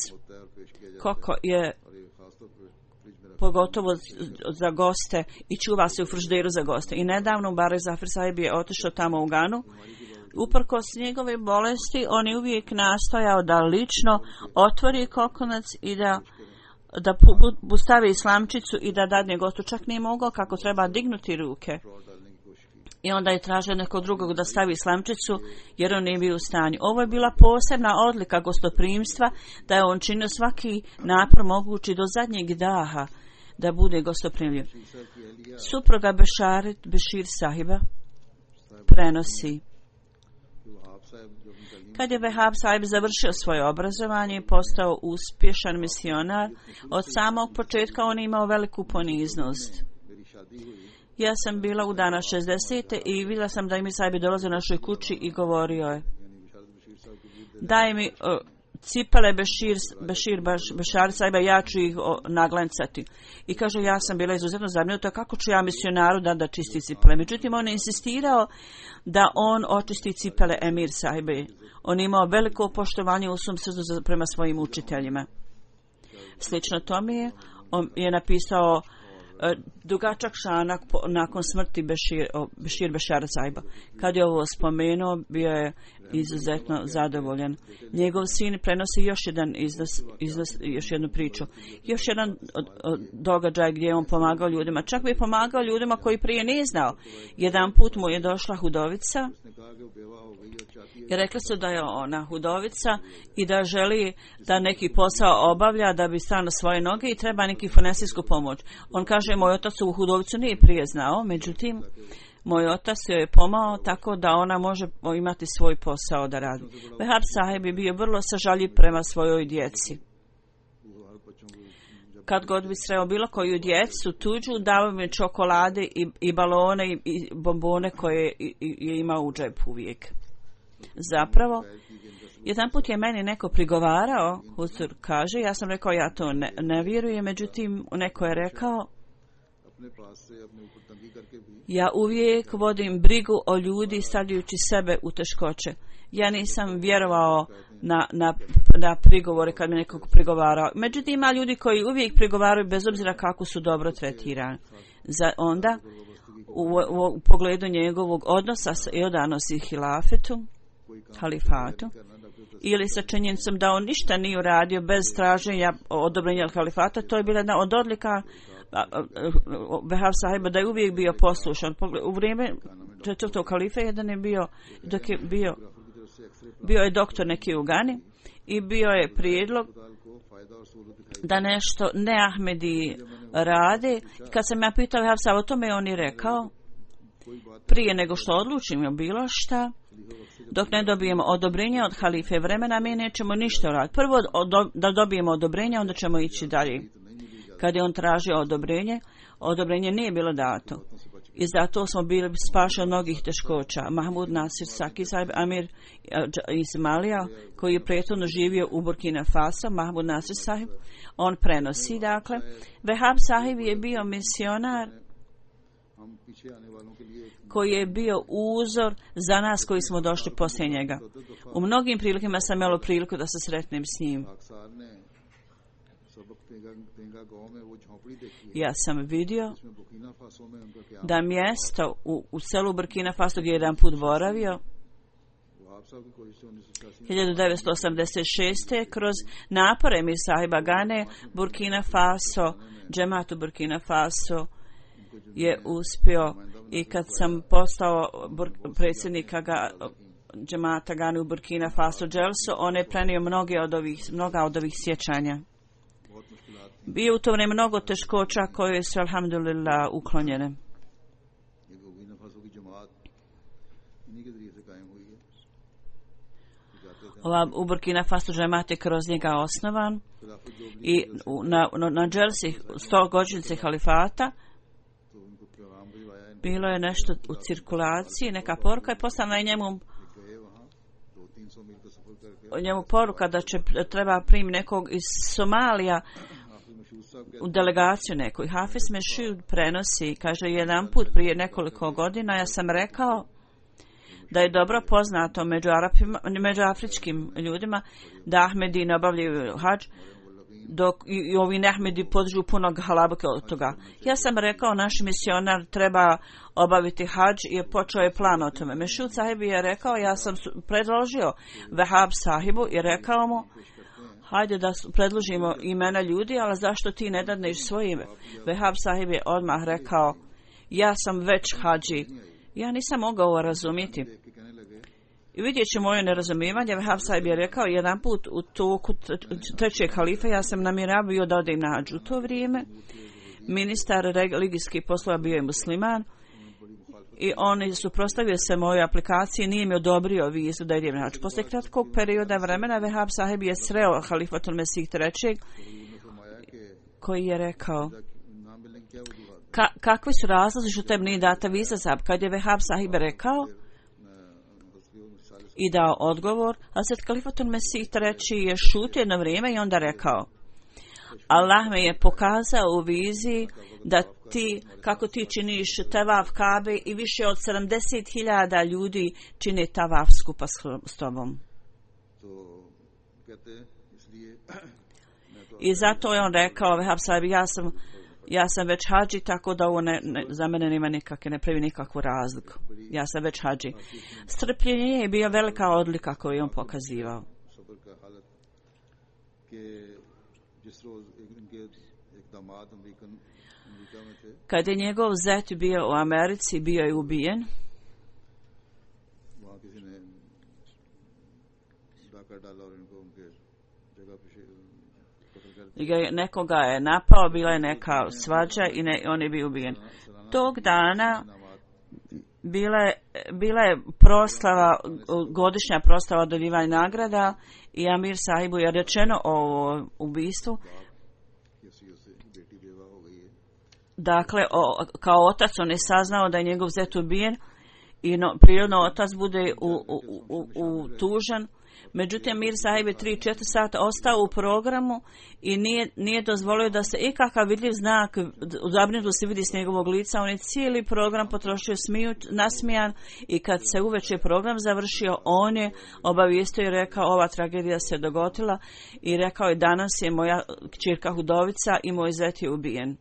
koko je pogotovo za goste i čuva se u frižideru za goste. I nedavno Barek Zafir Sahib je otišao tamo u Ganu. Uprkos njegove bolesti, on je uvijek nastojao da lično otvori kokonac i da, da pu, stavi slamčicu i da dadne gostu. Čak nije mogao kako treba dignuti ruke. I onda je tražio nekog drugog da stavi slamčicu jer on nije bio u stanju. Ovo je bila posebna odlika gostoprimstva, da je on činio svaki napor mogući do zadnjeg daha da bude gostoprimljiv. Supruga Bešarit Bešir Sahiba prenosi. Kad je Vehab Sahib završio svoje obrazovanje i postao uspješan misionar, od samog početka on imao veliku poniznost. Ja sam bila u dana šezdesete i vidjela sam da mi Sahib dolaze u našoj kući i govorio je, daj mi uh, cipele Bešir, Bešir Bešar Sahiba, ja ću ih o, naglancati. I kaže, ja sam bila izuzetno zabrinuta kako ću ja misionaru da da čisti cipele. Međutim, on je insistirao da on očisti cipele Emir Sahibe. On imao veliko poštovanje u svom srcu prema svojim učiteljima. Slično tome je, on je napisao e, dugačak članak nakon smrti Bešir, o, Bešir Bešara Saiba. Kad je ovo spomenuo, bio je izuzetno zadovoljan. Njegov sin prenosi još jedan izlas, izlas, još jednu priču. Još jedan od, od događaj gdje je on pomagao ljudima. Čak bi je pomagao ljudima koji prije nije znao. Jedan put mu je došla hudovica i rekla su da je ona hudovica i da želi da neki posao obavlja da bi stao na svoje noge i treba neki finansijsku pomoć. On kaže, moj otac u hudovicu nije prije znao, međutim, moj otac joj je pomao tako da ona može imati svoj posao da radi. Vehab Sahib je bio vrlo sažaljiv prema svojoj djeci. Kad god bi sreo bilo koju djecu tuđu, dao mi čokolade i, i balone i, i bombone koje i, i, je imao u džepu uvijek. Zapravo, jedan put je meni neko prigovarao, Huzur kaže, ja sam rekao ja to ne, ne vjerujem, međutim neko je rekao, ja uvijek vodim brigu o ljudi stavljajući sebe u teškoće. Ja nisam vjerovao na, na, na prigovore kad mi nekog prigovarao. Međutim, ima ljudi koji uvijek prigovaraju bez obzira kako su dobro tretirani. Za onda, u, u, u pogledu njegovog odnosa i odanosti hilafetu, halifatu, ili sa činjenicom da on ništa nije uradio bez traženja odobrenja halifata, to je bila jedna od odlika Vehab Sahiba, da je uvijek bio poslušan. U vrijeme četvrtog halife jedan je bio, dok je bio, bio je doktor neki u Gani i bio je prijedlog da nešto ne Ahmedi rade. Kad sam ja pitao Vehab Sahiba o tome, on je rekao, prije nego što odlučimo bilo šta, dok ne dobijemo odobrenje od halife vremena, mi nećemo ništa raditi. Prvo da dobijemo odobrenje, onda ćemo ići dalje. Kad je on tražio odobrenje, odobrenje nije bilo dato. I zato smo bili spašeni od mnogih teškoća. Mahmud Nasir Saki Sahib, Amir Ismailija, koji je prethodno živio u Burkina Faso, Mahmud Nasir Sahib, on prenosi, dakle. Vehab Sahib je bio misionar koji je bio uzor za nas koji smo došli poslije njega. U mnogim prilikama sam imao priliku da se sretnem s njim. Ja sam vidio da mjesto u, u selu Burkina Faso gdje je jedan put boravio hiljadu devetsto osamdeset šeste kroz napore Mir Sahiba Gane, Burkina Faso, džematu Burkina Faso je uspio, i kad sam postao predsjednika ga, džemata Gane u Burkina Faso Dželso, on je prenio mnoge od ovih, mnoga od ovih sjećanja. Bio u to vrijeme mnogo teškoća koje su, alhamdulillah, uklonjene. Ova u Burkina Faso džemat je kroz njega osnovan i na, na, na Dželsi sto godišnjice halifata bilo je nešto u cirkulaciji, neka poruka je poslana i njemu njemu poruka da će treba primiti nekog iz Somalija u delegaciju nekoj. Hafiz Mešud prenosi, kaže, jedan put prije nekoliko godina ja sam rekao da je dobro poznato među, Arapima, među afričkim ljudima da Ahmedi ne obavljaju hadž, dok i, i ovi Ahmedi podržu puno halabuke od toga. Ja sam rekao, naš misionar treba obaviti hadž i počeo je plan o tome. Mešud Sahib je rekao, ja sam predložio Vehab Sahibu i rekao mu, hajde da predložimo imena ljudi, ali zašto ti ne dadneš svoje ime? Vehab Sahib je odmah rekao, ja sam već hađi. Ja nisam mogao razumjeti. I vidjet ću moje nerazumijevanje. Vehab Sahib je rekao, jedan put u toku trećeg halife ja sam namjeravao da odem na hađu. U to vrijeme ministar religijskih poslova bio je musliman i on suprotstavio se mojoj aplikaciji, nije mi odobrio vizu da idem na hađ. Poslije kratkog perioda vremena Vehab Sahib je sreo halifatul Mesih trećeg koji je rekao, Ka, kakvi su razlozi što tebi nije data viza Sahib? Kad je Vehab Sahib rekao i dao odgovor, Hazret halifatul Mesih treći je šutio jedno vrijeme i onda rekao, Allah me je pokazao u viziji da ti, kako ti činiš tavaf Kabe i više od sedamdeset hiljada ljudi čine tavaf skupa s tobom. I zato je on rekao, Vehab Sahib, ja sam, ja sam već hađi, tako da ovo ne, ne, za mene nema nikakve, ne pravi nikakvu razliku. Ja sam već hađi. Strpljenje je bio velika odlika koju je on pokazivao. Kad je njegov zet bio u Americi, bio je ubijen. Nekoga je napao, bila je neka svađa i ne, on je bio ubijen. Tog dana bila je, bila je proslava, godišnja proslava dodjeljivanja nagrada i Amir Sahibu je rečeno o ubistvu. Dakle, o, kao otac on je saznao da je njegov zet ubijen i no, prirodno otac bude u, u, u, u tužan. Međutim, Mir Sahib je tri četiri sata ostao u programu i nije, nije dozvolio da se ikakav vidljiv znak zabrinutosti se vidi s njegovog lica. On je cijeli program potrošio smiju, nasmijan i kad se uveče program završio, on je obavijestio i rekao ova tragedija se dogodila i rekao je danas je moja kćerka Hudovica i moj zet je ubijen.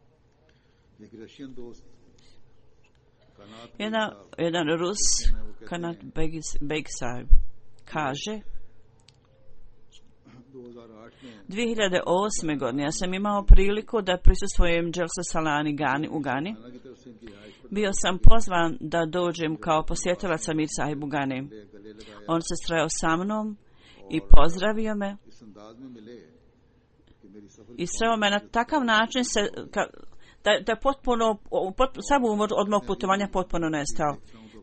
Jedan, jedan Rus, Kanat Begsar, kaže dvije hiljade osme. godine ja sam imao priliku da prisustvujem Dželsa Salani Gani u Gani. Bio sam pozvan da dođem kao posjetilac Amir Sahibu Gani. On se sreo sa mnom i pozdravio me i sreo me na takav način se, ka, da, da potpuno pot, samo od mog putovanja potpuno nestao.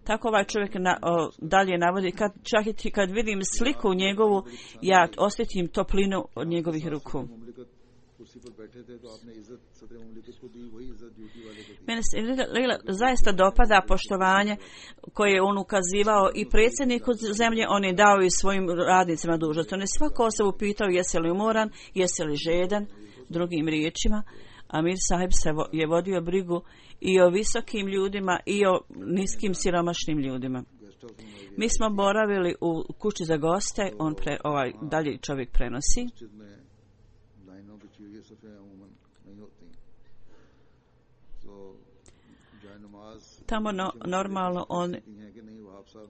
Tako ovaj čovjek na, o, dalje navodi, kad, čak i kad vidim sliku njegovu, ja osjetim toplinu od njegovih ruku. Mene se zaista dopada poštovanje koje je on ukazivao i predsjedniku zemlje, on je dao i svojim radnicima dužnost. On je svako osobu pitao jesi li umoran, jesi li žedan, drugim riječima. Amir Sahib se vo, je vodio brigu i o visokim ljudima i o niskim siromašnim ljudima. Mi smo boravili u kući za goste, on pre, ovaj dalje čovjek prenosi. Tamo no, normalno on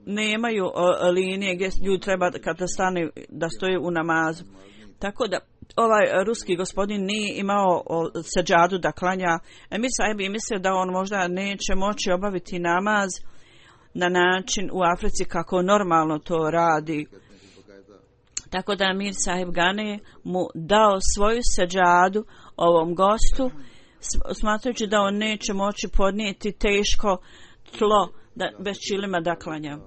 nemaju o, linije gdje ljudi treba kada stane da stoje u namazu. Tako da ovaj ruski gospodin nije imao seđadu da klanja. Emir Sahib je mislio da on možda neće moći obaviti namaz na način u Africi kako normalno to radi. Tako da Emir Sahib Gani mu dao svoju seđadu ovom gostu, smatrajući da on neće moći podnijeti teško tlo da, bez čilima da klanja.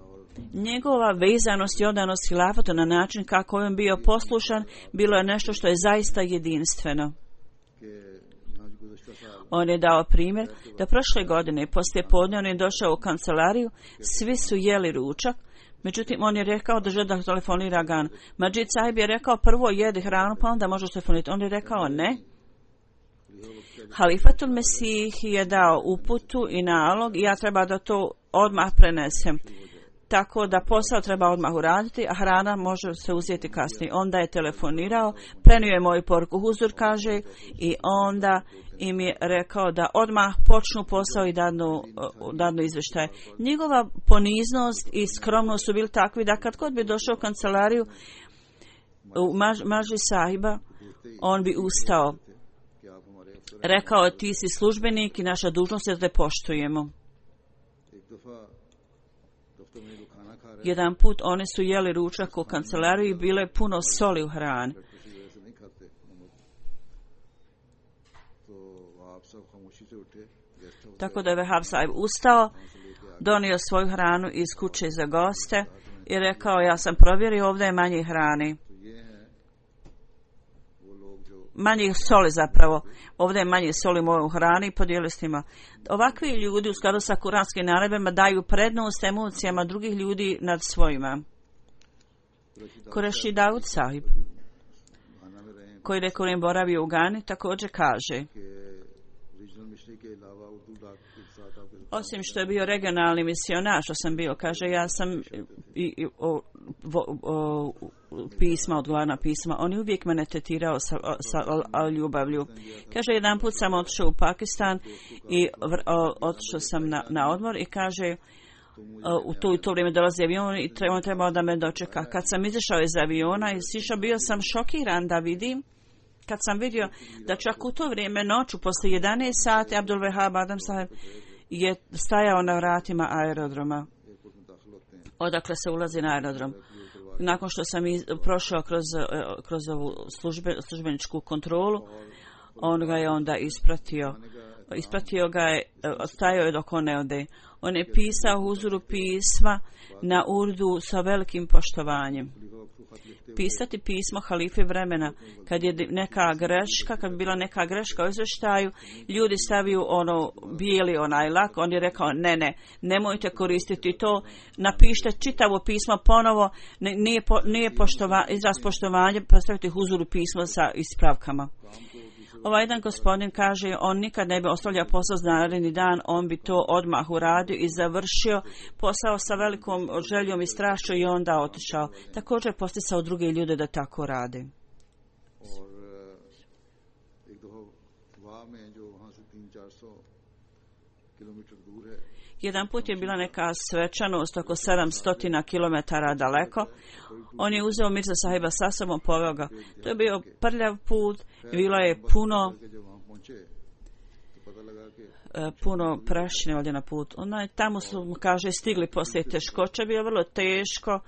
Njegova vezanost i odanost hilafatu na način kako je on bio poslušan bilo je nešto što je zaista jedinstveno. On je dao primjer da prošle godine poslije podne on je došao u kancelariju, svi su jeli ručak, međutim on je rekao da želi da telefonira Gan. Majid Sahib je rekao prvo jedi hranu pa onda možeš telefonirati. On je rekao ne. Halifatul Mesih je dao uputu i nalog i ja treba da to odmah prenesem. Tako da posao treba odmah uraditi, a hrana može se uzeti kasnije. Onda je telefonirao, prenio je moju poruku huzur, kaže, i onda im je rekao da odmah počnu posao i dadnu, dadnu izvještaj. Njegova poniznost i skromnost su bili takvi da kad god bi došao u kancelariju u maž, maži sahiba, on bi ustao. Rekao, ti si službenik i naša dužnost je da te poštujemo. Jedan put oni su jeli ručak u kancelariji i bilo je puno soli u hrani. Tako da je Vehab Sahib ustao, donio svoju hranu iz kuće za goste i rekao, ja sam provjerio, ovdje je manje hrane. Manje soli zapravo. Ovdje je manje soli u mojoj hrani i podijeli s njima. Ovakvi ljudi u skladu sa kuranskim naredbama daju prednost emocijama drugih ljudi nad svojima. Kureši Daud Sahib, koji rekurim boravio u Gani, također kaže, osim što je bio regionalni misionar, što sam bio, kaže, ja sam i, i, o, vo, o, pisma, odgovarna pisma. On je uvijek mene tretirao sa, sa o, ljubavlju. Kaže, jedan put sam otišao u Pakistan i o, otišao sam na, na odmor i kaže, u to, u to vrijeme dolazi avion i on trebao da me dočeka. Kad sam izašao iz aviona i sišao, bio sam šokiran da vidim, kad sam vidio da čak u to vrijeme noću, posle jedanaest sati, Abdul Wahab Adam Saheb je stajao na vratima aerodroma. Odakle se ulazi na aerodrom. Nakon što sam iz, prošao kroz, kroz ovu službe, službeničku kontrolu, on ga je onda ispratio. Ispratio ga je, stajao je dok on ne ode. On je pisao huzuru pisma na urdu sa velikim poštovanjem. Pisati pismo halife vremena, kad je neka greška, kad bi bila neka greška u izvještaju, ljudi staviju ono bijeli onaj lak, on je rekao ne, ne, nemojte koristiti to, napišite čitavo pismo ponovo, nije, po, nije poštova, izraz poštovanja, postavite huzuru pismo sa ispravkama. Ovaj jedan gospodin kaže, on nikad ne bi ostavljao posao za naredni dan, on bi to odmah uradio i završio posao sa velikom željom i strašću i onda otišao. Također posticao druge ljude da tako rade. Jedan put je bila neka svečanost oko sedamsto kilometara daleko. On je uzeo Mirza Sahiba sa sobom, poveo ga. To je bio prljav put, bilo je puno puno prašine ovdje na put. Ona, tamo su, kaže, stigli poslije teškoća, bio vrlo teško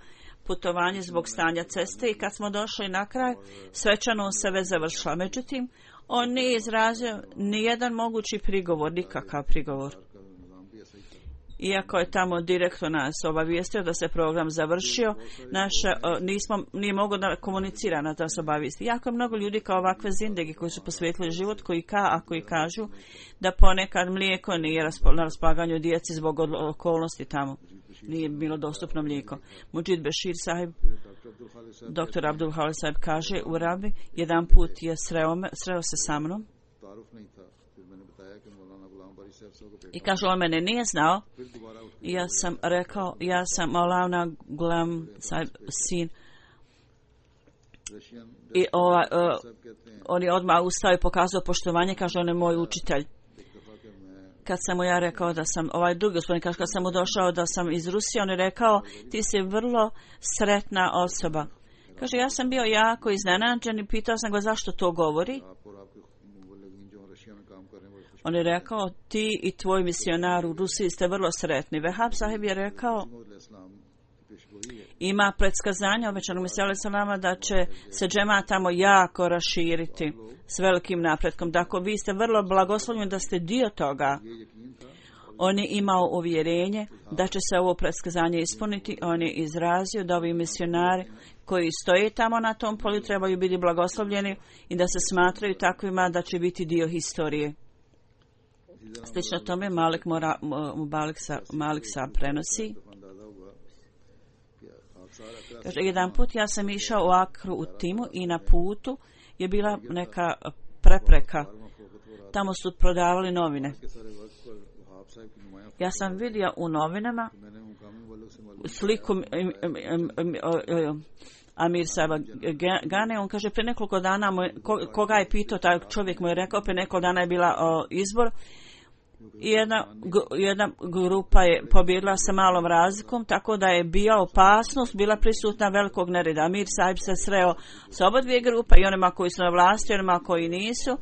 putovanje zbog stanja ceste i kad smo došli na kraj, svečanost se već završila. Međutim, on nije izrazio ni jedan mogući prigovor, nikakav prigovor. Iako je tamo direktno nas obavijestio da se program završio, naše, nismo, nije mogo da komunicira na da se obavijesti. Jako je mnogo ljudi kao ovakve zindegi koji su posvetili život, koji ka, a koji kažu da ponekad mlijeko nije na raspolaganju djeci zbog okolnosti tamo. Nije bilo dostupno mlijeko. Mujid Bashir Sahib, doktor Abdul Khalis Sahib kaže u Rabi, jedan put je sreo, me, sreo se sa mnom i kaže, on mene nije znao. I ja sam rekao, ja sam Maulana Ghulam Sahib sin. I ova, uh, on je odmah ustao i pokazao poštovanje, kaže, on je moj učitelj. Kad sam mu ja rekao da sam, ovaj drugi gospodin kaže, kad sam mu došao da sam iz Rusije, on je rekao, ti si vrlo sretna osoba. Kaže, ja sam bio jako iznenađen i pitao sam ga zašto to govori. On je rekao, ti i tvoj misionar u Rusiji ste vrlo sretni. Wahab Sahib je rekao, ima predskazanja obećanog Mesija salama da će se džema tamo jako raširiti s velikim napretkom. Dakle, vi ste vrlo blagoslovljeni da ste dio toga. On je imao uvjerenje da će se ovo predskazanje ispuniti. On je izrazio da ovi misionari koji stoje tamo na tom polju trebaju biti blagoslovljeni i da se smatraju takvima da će biti dio historije. Slično tome Malik, Mora, Malik, sa, Malik sa prenosi. Kaže, jedan put ja sam išao u Akru u Timu i na putu je bila neka prepreka. Tamo su prodavali novine. Ja sam vidio u novinama sliku Amir Saba Gane. On kaže, pre nekoliko dana, moj, koga je pitao, taj čovjek mu je rekao, pre nekoliko dana je bila o, izbor. I jedna, jedna grupa je pobjedila sa malom razlikom, tako da je bila opasnost, bila prisutna velikog nereda. Amir Sahib se sreo sa oba dvije grupa, i onima koji su na vlasti, i onima koji nisu,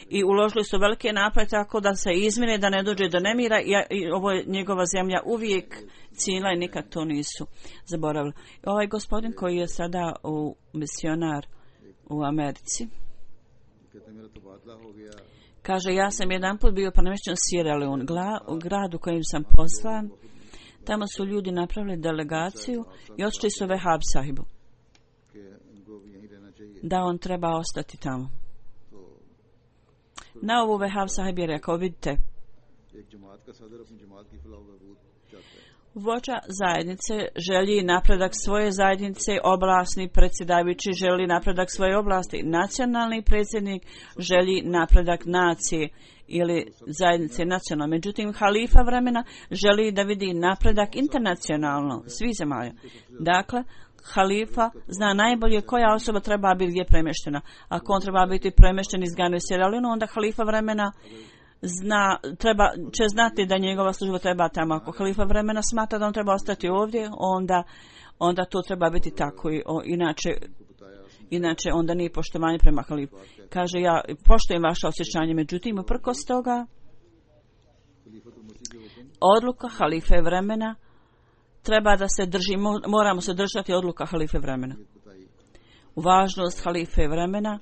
i uložili su velike napade tako da se izmine, da ne dođe do nemira, i, i ovo je njegova zemlja uvijek cijenila i nikad to nisu zaboravili. Ovaj gospodin koji je sada u misionar u Americi, kaže, ja sam jedan put bio premješten u Sierra Leone, u gradu kojim sam poslan. Tamo su ljudi napravili delegaciju i otišli su Wahab Sahibu da on treba ostati tamo. Na ovu Wahab Sahib je rekao, vidite, vođa zajednice želi napredak svoje zajednice, oblasni predsjedavajući želi napredak svoje oblasti, nacionalni predsjednik želi napredak nacije ili zajednice nacionalno. Međutim, halifa vremena želi da vidi napredak internacionalno, svih zemalja. Dakle, halifa zna najbolje koja osoba treba biti gdje premještena. Ako on treba biti premješten iz Gane u Sjeralinu, onda halifa vremena zna, treba, će znati da njegova služba treba tamo. Ako halifa vremena smatra da on treba ostati ovdje, onda, onda to treba biti tako. I, o, inače, inače onda nije poštovanje prema halifu. Kaže, ja poštujem vaše osjećanje, međutim, uprkos toga, odluka halife vremena treba da se drži, moramo se držati odluka halife vremena. Važnost halife vremena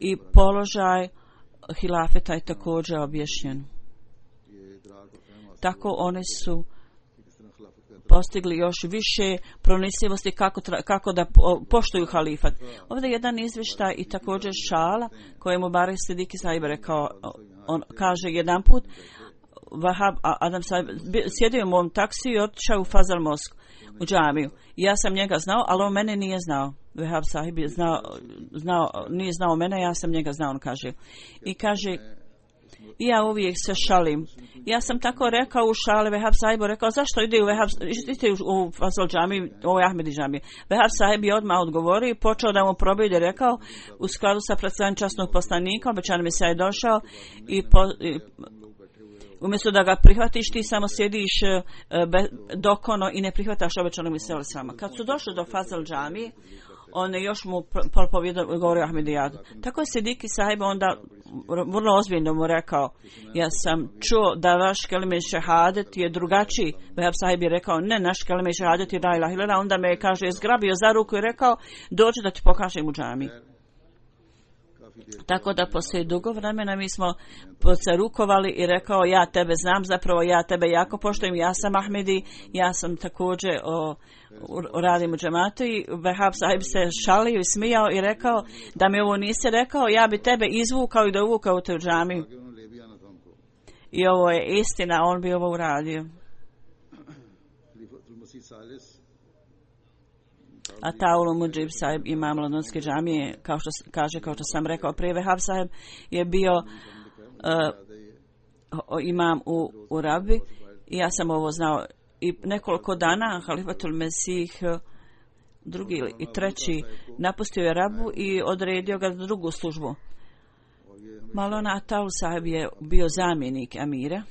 i položaj hilafeta je također objašnjen. Tako oni su postigli još više pronicljivosti kako, tra, kako da poštuju halifat. Ovdje je jedan izvještaj i također šala kojemu Barek Sidiki Saib rekao, on kaže jedan put, Vahab Adam Saib sjedio u mom taksiju i otišao u Fazal Mosku, u džamiju. Ja sam njega znao, ali on mene nije znao. Vahab Sahib je znao, znao, nije znao mene, ja sam njega znao, on kaže. I kaže, ja uvijek se šalim. Ja sam tako rekao u šali, Vahab Sahib rekao, zašto ide u, Vahab, ide u Fazal džamiju, ovo je Ahmedi džamije. Vahab Sahib je odmah odgovorio i počeo da mu probije i rekao, u skladu sa predstavljanjem časnog poslanika, obećan mi se je došao i, po, i umjesto da ga prihvatiš, ti samo sjediš be, dokono i ne prihvataš obećanog misela sama. Kad su došli do Fazal džamije, on je još mu propovijedao, govorio Ahmedijadu. Tako je Sidiki Sahib onda vrlo ozbiljno mu rekao, ja sam čuo da vaš kelime šehadet je drugačiji. Vahab Sahib je rekao, ne, naš kelime šehadet je la ilaha illallah. Onda me je, kaže, je zgrabio za ruku i rekao, dođi da ti pokažem u džamiji. Tako da poslije dugo vremena mi smo se rukovali i rekao, ja tebe znam, zapravo ja tebe jako poštujem, ja sam Ahmedi, ja sam također o, o, radim u džematu. I Vahab Sahib se šalio i smijao i rekao, da mi ovo nisi rekao, ja bi tebe izvukao i dovukao u tu džamiju. I ovo je istina, on bi ovo uradio. A Taulu Mujib Sahib, imam Londonske džamije, kao što kaže, kao što sam rekao prije, Vahab Sahib je bio uh, imam u, u Rabi i ja sam ovo znao. I nekoliko dana Halifatul Mesih drugi i treći napustio je Rabu i odredio ga za drugu službu. Malona Taul Sahib je bio zamjenik amira.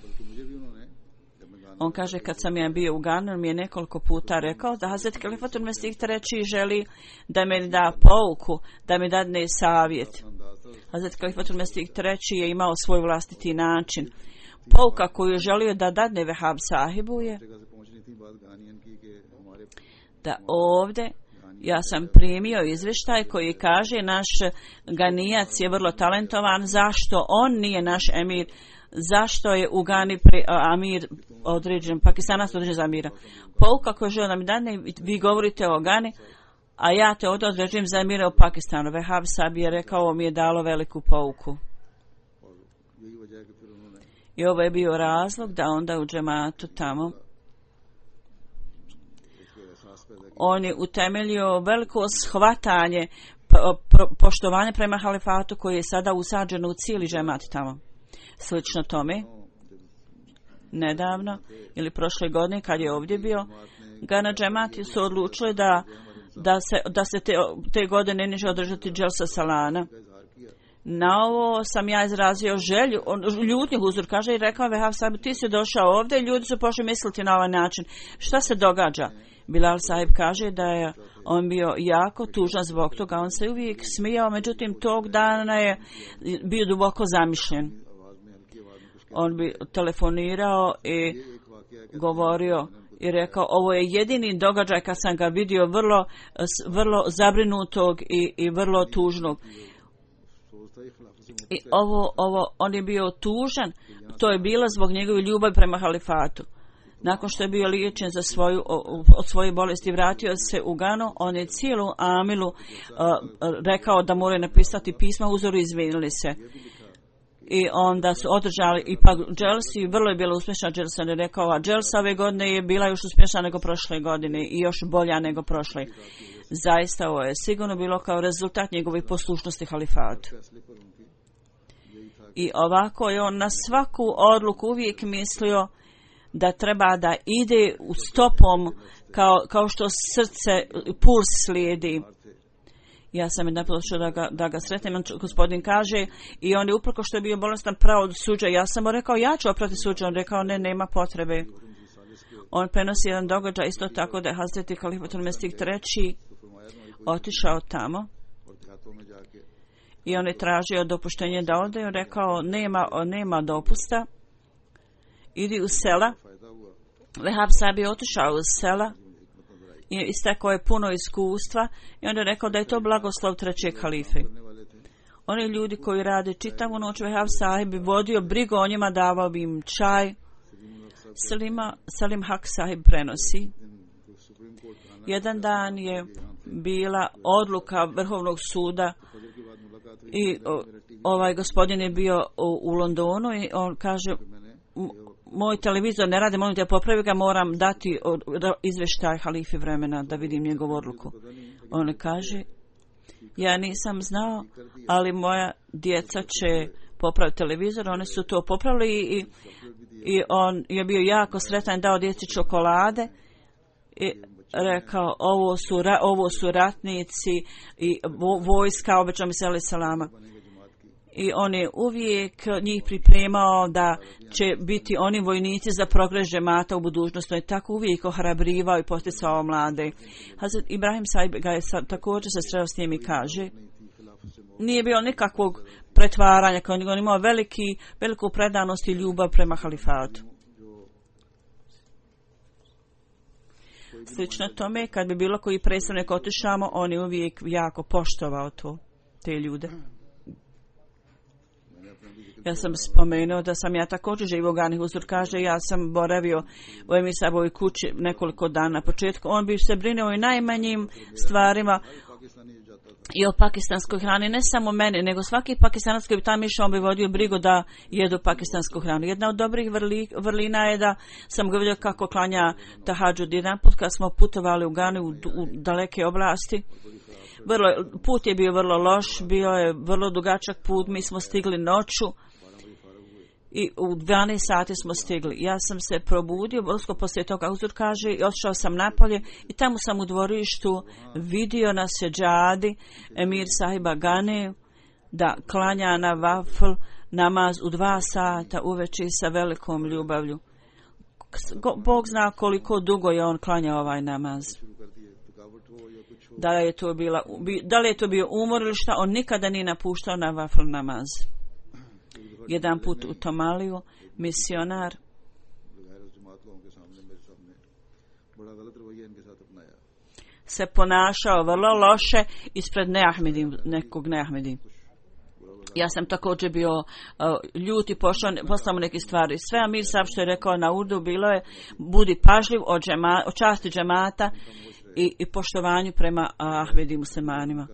On kaže, kad sam ja bio u Ganu, mi je nekoliko puta rekao da Hazret Halifatul Mesih treći želi da mi da pouku, da mi dadne savjet. Hazret Halifatul Mesih treći je imao svoj vlastiti način. Pouka koju je želio da dadne Vahab Sahibu je da ovdje ja sam primio izvještaj koji kaže, naš Ganijac je vrlo talentovan, zašto on nije naš emir, zašto je u Gani pri, a, amir određen, Pakistanac određen za amira. Pouka koju želim da mi dane, vi govorite o Gani, a ja te ovdje određujem za amira u Pakistanu. Vahab Sahib je rekao, ovo mi je dalo veliku pouku. I ovo je bio razlog da onda u džematu tamo on je utemeljio veliko shvatanje, po, po, poštovanje prema halifatu koji je sada usađeno u cijeli džemat tamo. Slično tome, nedavno ili prošle godine kad je ovdje bio, Gana džemati su odlučili da, da se, da se te, te godine neće održati dželsa salana. Na ovo sam ja izrazio želju, on, ljutnju huzur kaže i rekao, Vahab Sahib, ti si došao ovdje, ljudi su pošli misliti na ovaj način. Šta se događa? Bilal Sahib kaže da je on bio jako tužan zbog toga, on se uvijek smijao, međutim tog dana je bio duboko zamišljen. On bi telefonirao i govorio i rekao, ovo je jedini događaj kad sam ga vidio vrlo, vrlo zabrinutog i, i vrlo tužnog. I ovo, ovo, on je bio tužan, to je bilo zbog njegove ljubavi prema halifatu. Nakon što je bio liječen za svoju, od svoje bolesti, vratio se u Ganu, on je cijelu Amilu uh, rekao da moraju napisati pisma uzoru, izvinili se. I onda su održali ipak dželsi, vrlo je bila uspješna dželsa, ne rekao, a dželsa ove godine je bila još uspješna nego prošle godine i još bolja nego prošle. Zaista ovo je sigurno bilo kao rezultat njegove poslušnosti halifatu. I ovako je on na svaku odluku uvijek mislio da treba da ide u stopom kao, kao što srce, puls slijedi. Ja sam jedan pošao da ga, da ga sretnem, on, gospodin kaže, i on je uprko što je bio bolestan pravo od suđa. Ja sam mu rekao, ja ću oprati suđa. On rekao, ne, nema potrebe. On prenosi jedan događaj isto tako da je Hazreti Halifatul Mesih treći otišao tamo i on je tražio dopuštenje da ode. On rekao, nema, nema dopusta, idi u sela. Vehab Sahib je otišao u sela i istekao je puno iskustva i on je rekao da je to blagoslov trećeg halife. Oni ljudi koji rade čitavu noć, Vehab Sahib bi vodio brigu o njima, davao bi im čaj. Salima, Salim Haq Sahib prenosi. Jedan dan je bila odluka Vrhovnog suda i o, ovaj gospodin je bio u, u Londonu i on kaže, moj televizor ne radi, molim te popravi ga, moram dati izvještaj halifi vremena da vidim njegovu odluku. On kaže, ja nisam znao, ali moja djeca će popraviti televizor. One su to popravili i, i on je bio jako sretan, dao djeci čokolade i rekao, ovo su, ovo su ratnici i vojska, obećao mi se alaih salama. I on je uvijek njih pripremao da će biti oni vojnici za progres džemata u budućnosti. On je tako uvijek ohrabrivao i posticao mlade. Hazret Ibrahim Sahib ga je sa, također se sreo s njim i kaže, nije bilo nikakvog pretvaranja, kao on imao veliki, veliku predanost i ljubav prema halifatu. Slično tome, kad bi bilo koji predstavnik otišamo, on je uvijek jako poštovao to, te ljude. Ja sam spomenuo da sam ja također živio u Gani. Huzur kaže, ja sam boravio u Emir Sahabovoj kući nekoliko dana na početku. On bi se brinuo i najmanjim stvarima i o pakistanskoj hrani, ne samo mene, nego svaki pakistanac koji bi tamo išao, on bi vodio brigu da jedu pakistansku hranu. Jedna od dobrih vrli, vrlina je da sam ga vidio kako klanja tahadžud. Jedan put kad smo putovali u Gani u, u daleke oblasti, vrlo, put je bio vrlo loš, bio je vrlo dugačak put, mi smo stigli noću i u dvanaest sati smo stigli. Ja sam se probudio, usko poslije toga Huzur kaže, i otišao sam napolje i tamo sam u dvorištu vidio na seđadi Emir Sahiba Gane da klanja na vafl namaz u dva sata uveče sa velikom ljubavlju. Bog zna koliko dugo je on klanjao ovaj namaz. Da li je to bila, da li je to bio umor ili šta, on nikada nije napuštao na vafl namaz. Jedan put u Tomaliju misionar se ponašao vrlo loše ispred neahmedi, nekog neahmedi. Ja sam također bio uh, ljut i pošao, poslao mu neke stvari. Sve Amir Sahib što je rekao na urdu bilo je, budi pažljiv o, džema, o časti džemata i, i poštovanju prema ahmedi muslimanima.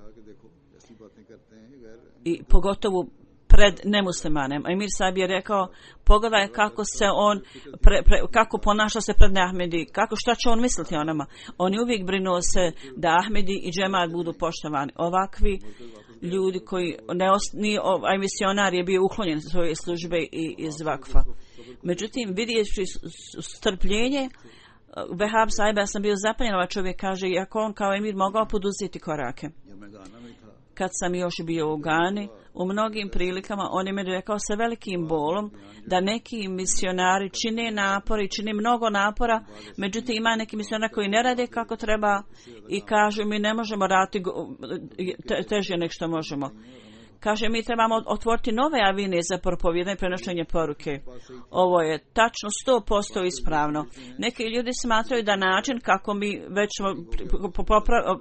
I pogotovo pred nemuslimanem. Emir Sahib je rekao, pogledaj kako se on pre, pre, kako ponaša se pred Ahmedi, kako, šta će on misliti o nama. Oni uvijek brinuo se da Ahmedi i džemat budu poštovani. Ovakvi ljudi koji ne ni ovaj misionar je bio uklonjen iz svoje službe i iz vakfa. Međutim, vidjeći strpljenje Vehab Sahib, ja sam bio zapanjen, ovaj čovjek kaže, iako on kao emir mogao poduzeti korake. Kad sam još bio u Gani, u mnogim prilikama on je mi rekao sa velikim bolom da neki misionari čine napore i čine mnogo napora, međutim ima neki misionari koji ne rade kako treba i kažu mi ne možemo raditi te, teže nek što možemo. Kaže, mi trebamo otvoriti nove avine za propovijedanje i prenošenje poruke. Ovo je tačno sto posto ispravno. Neki ljudi smatraju da način kako mi već smo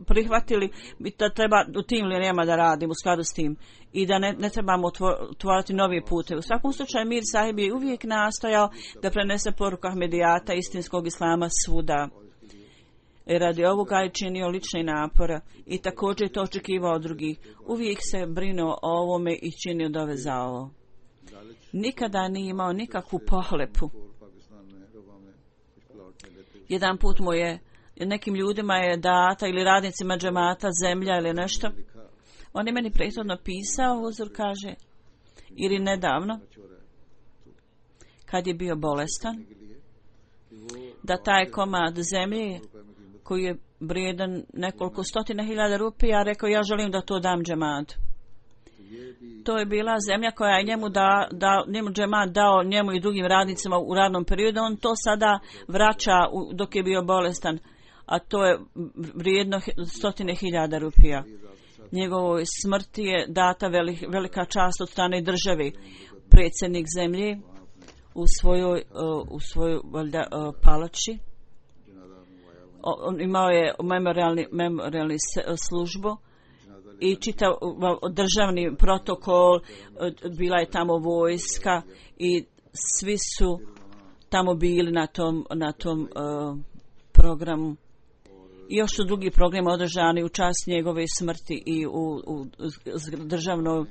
prihvatili da treba u tim linijama da radimo u skladu s tim i da ne, ne trebamo otvoriti novi pute. U svakom slučaju Mir Sahib je uvijek nastojao da prenese poruku Ahmedijata, istinskog islama svuda. I radi ovoga je činio lične napore i također je to očekivao od drugih. Uvijek se brinuo o ovome i činio dove za ovo. Nikada nije imao nikakvu pohlepu. Jedan put mu je, nekim ljudima je data ili radnicima džemata zemlja ili nešto. On je meni prethodno pisao, Huzur kaže, ili nedavno, kad je bio bolestan. da taj komad zemlje koji je vrijedan nekoliko stotina hiljada rupija, rekao ja želim da to dam džematu. To je bila zemlja koja je njemu, da, da, njemu džemat dao, njemu i drugim radnicima u radnom periodu. On to sada vraća u, dok je bio bolestan, a to je vrijedno stotine hiljada rupija. Njegovoj smrti je data velik, velika čast od strane države. Predsjednik zemlje u svojoj, u svojoj valjda, palači. On imao je memorialni, memorialni službu i čitav državni protokol, bila je tamo vojska i svi su tamo bili na tom, na tom uh, programu. I još su drugi programi održani u čast njegove smrti i u, u državnoj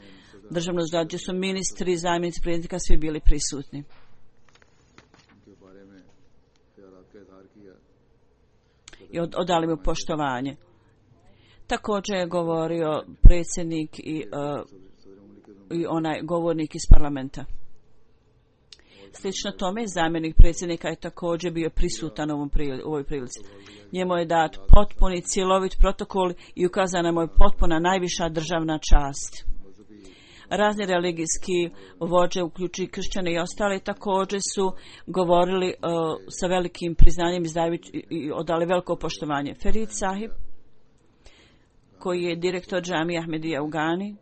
državnoj zgradi gdje su ministri, zamjenici predsjednika svi bili prisutni. I od, odali mu poštovanje. Također je govorio predsjednik i, uh, i onaj govornik iz parlamenta. Slično tome, zamjenik predsjednika je također bio prisutan u, ovom prili, u ovoj prilici. Njemu je dat potpuni, cjelovit protokol i ukazana mu je potpuna najviša državna čast. Razni religijski vođe, uključujući kršćane i ostale, također su govorili uh, sa velikim priznanjem izdajući i odali veliko poštovanje. Ferid Sahib, koji je direktor džamije Ahmedija u Gani,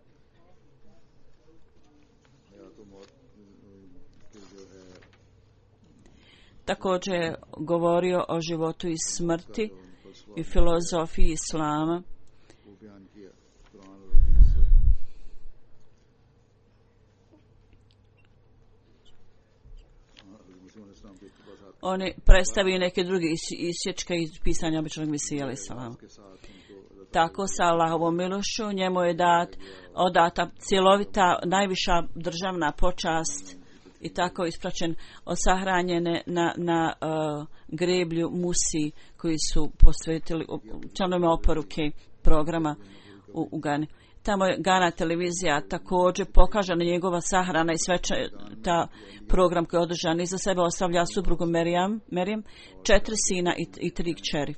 također je govorio o životu i smrti i filozofiji islama. On je predstavio neke druge isječke iz pisanja običnog Mesija alejhi selam. Tako sa Allahovom milošću njemu je dat, odata cjelovita najviša državna počast i tako ispraćen osahranjene na, na uh, greblju Musi koji su posvetili članovima oporuke programa u, u Gani. Tamo je Gana televizija također pokaže na njegova sahrana i sveče ta program koji je održan. Iza sebe ostavlja suprugu Merijam, Merijam, četiri sina i, i tri kćeri.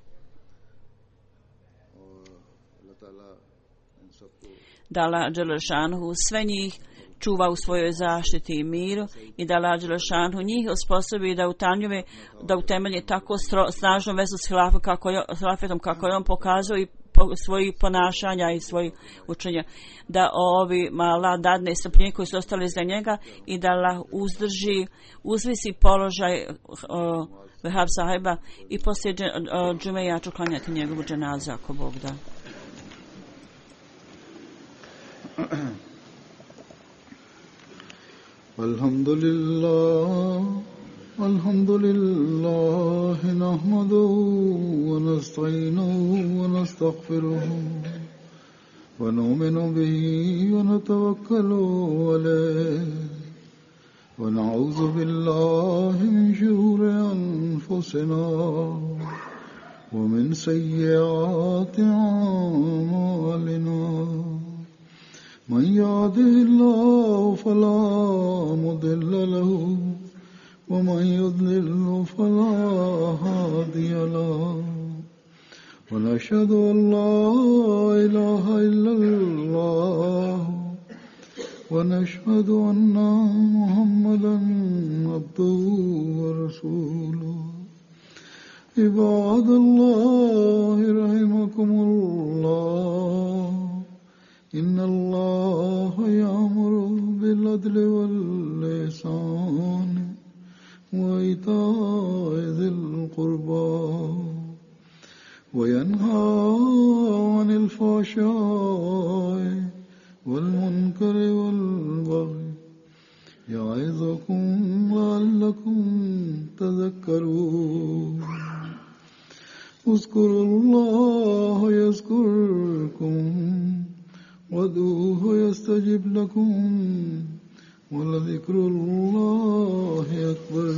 Da Allah dželešanhu sve njih čuva u svojoj zaštiti i miru i da Allah dželešanhu njih osposobi da utanjuve, da utemelje tako stro, snažnu vezu s hilafom kako je, s hilafetom kako je on pokazao i po, svojih ponašanja i svojih učenja. Da ovi Allah dadne strpljenje koji su ostali za njega i da Allah uzdrži, uzvisi položaj uh, Vehab sahiba i poslije uh, džume ja ću klanjati njegovu dženazu ako Bog da. Alhamdulillah, alhamdulillah, nahmaduhu wa nasta'inuhu wa nastaghfiruhu wa nu'minu bihi wa natawakkalu alayhi wa na'udhu billahi min shururi anfusina wa min sayyiati a'malina. من يهده الله فلا مضل له ومن يضلل فلا هادي له ونشهد أن لا إله إلا الله ونشهد أن محمدا عبده ورسوله عباد الله رحمكم الله إن الله يأمر بالعدل والإحسان وإيتاء ذي القربى وينهى عن الفحشاء والمنكر والبغي يعظكم لعلكم تذكرون اذكروا الله يذكركم وادعوه يستجب لكم ولذكر الله أكبر.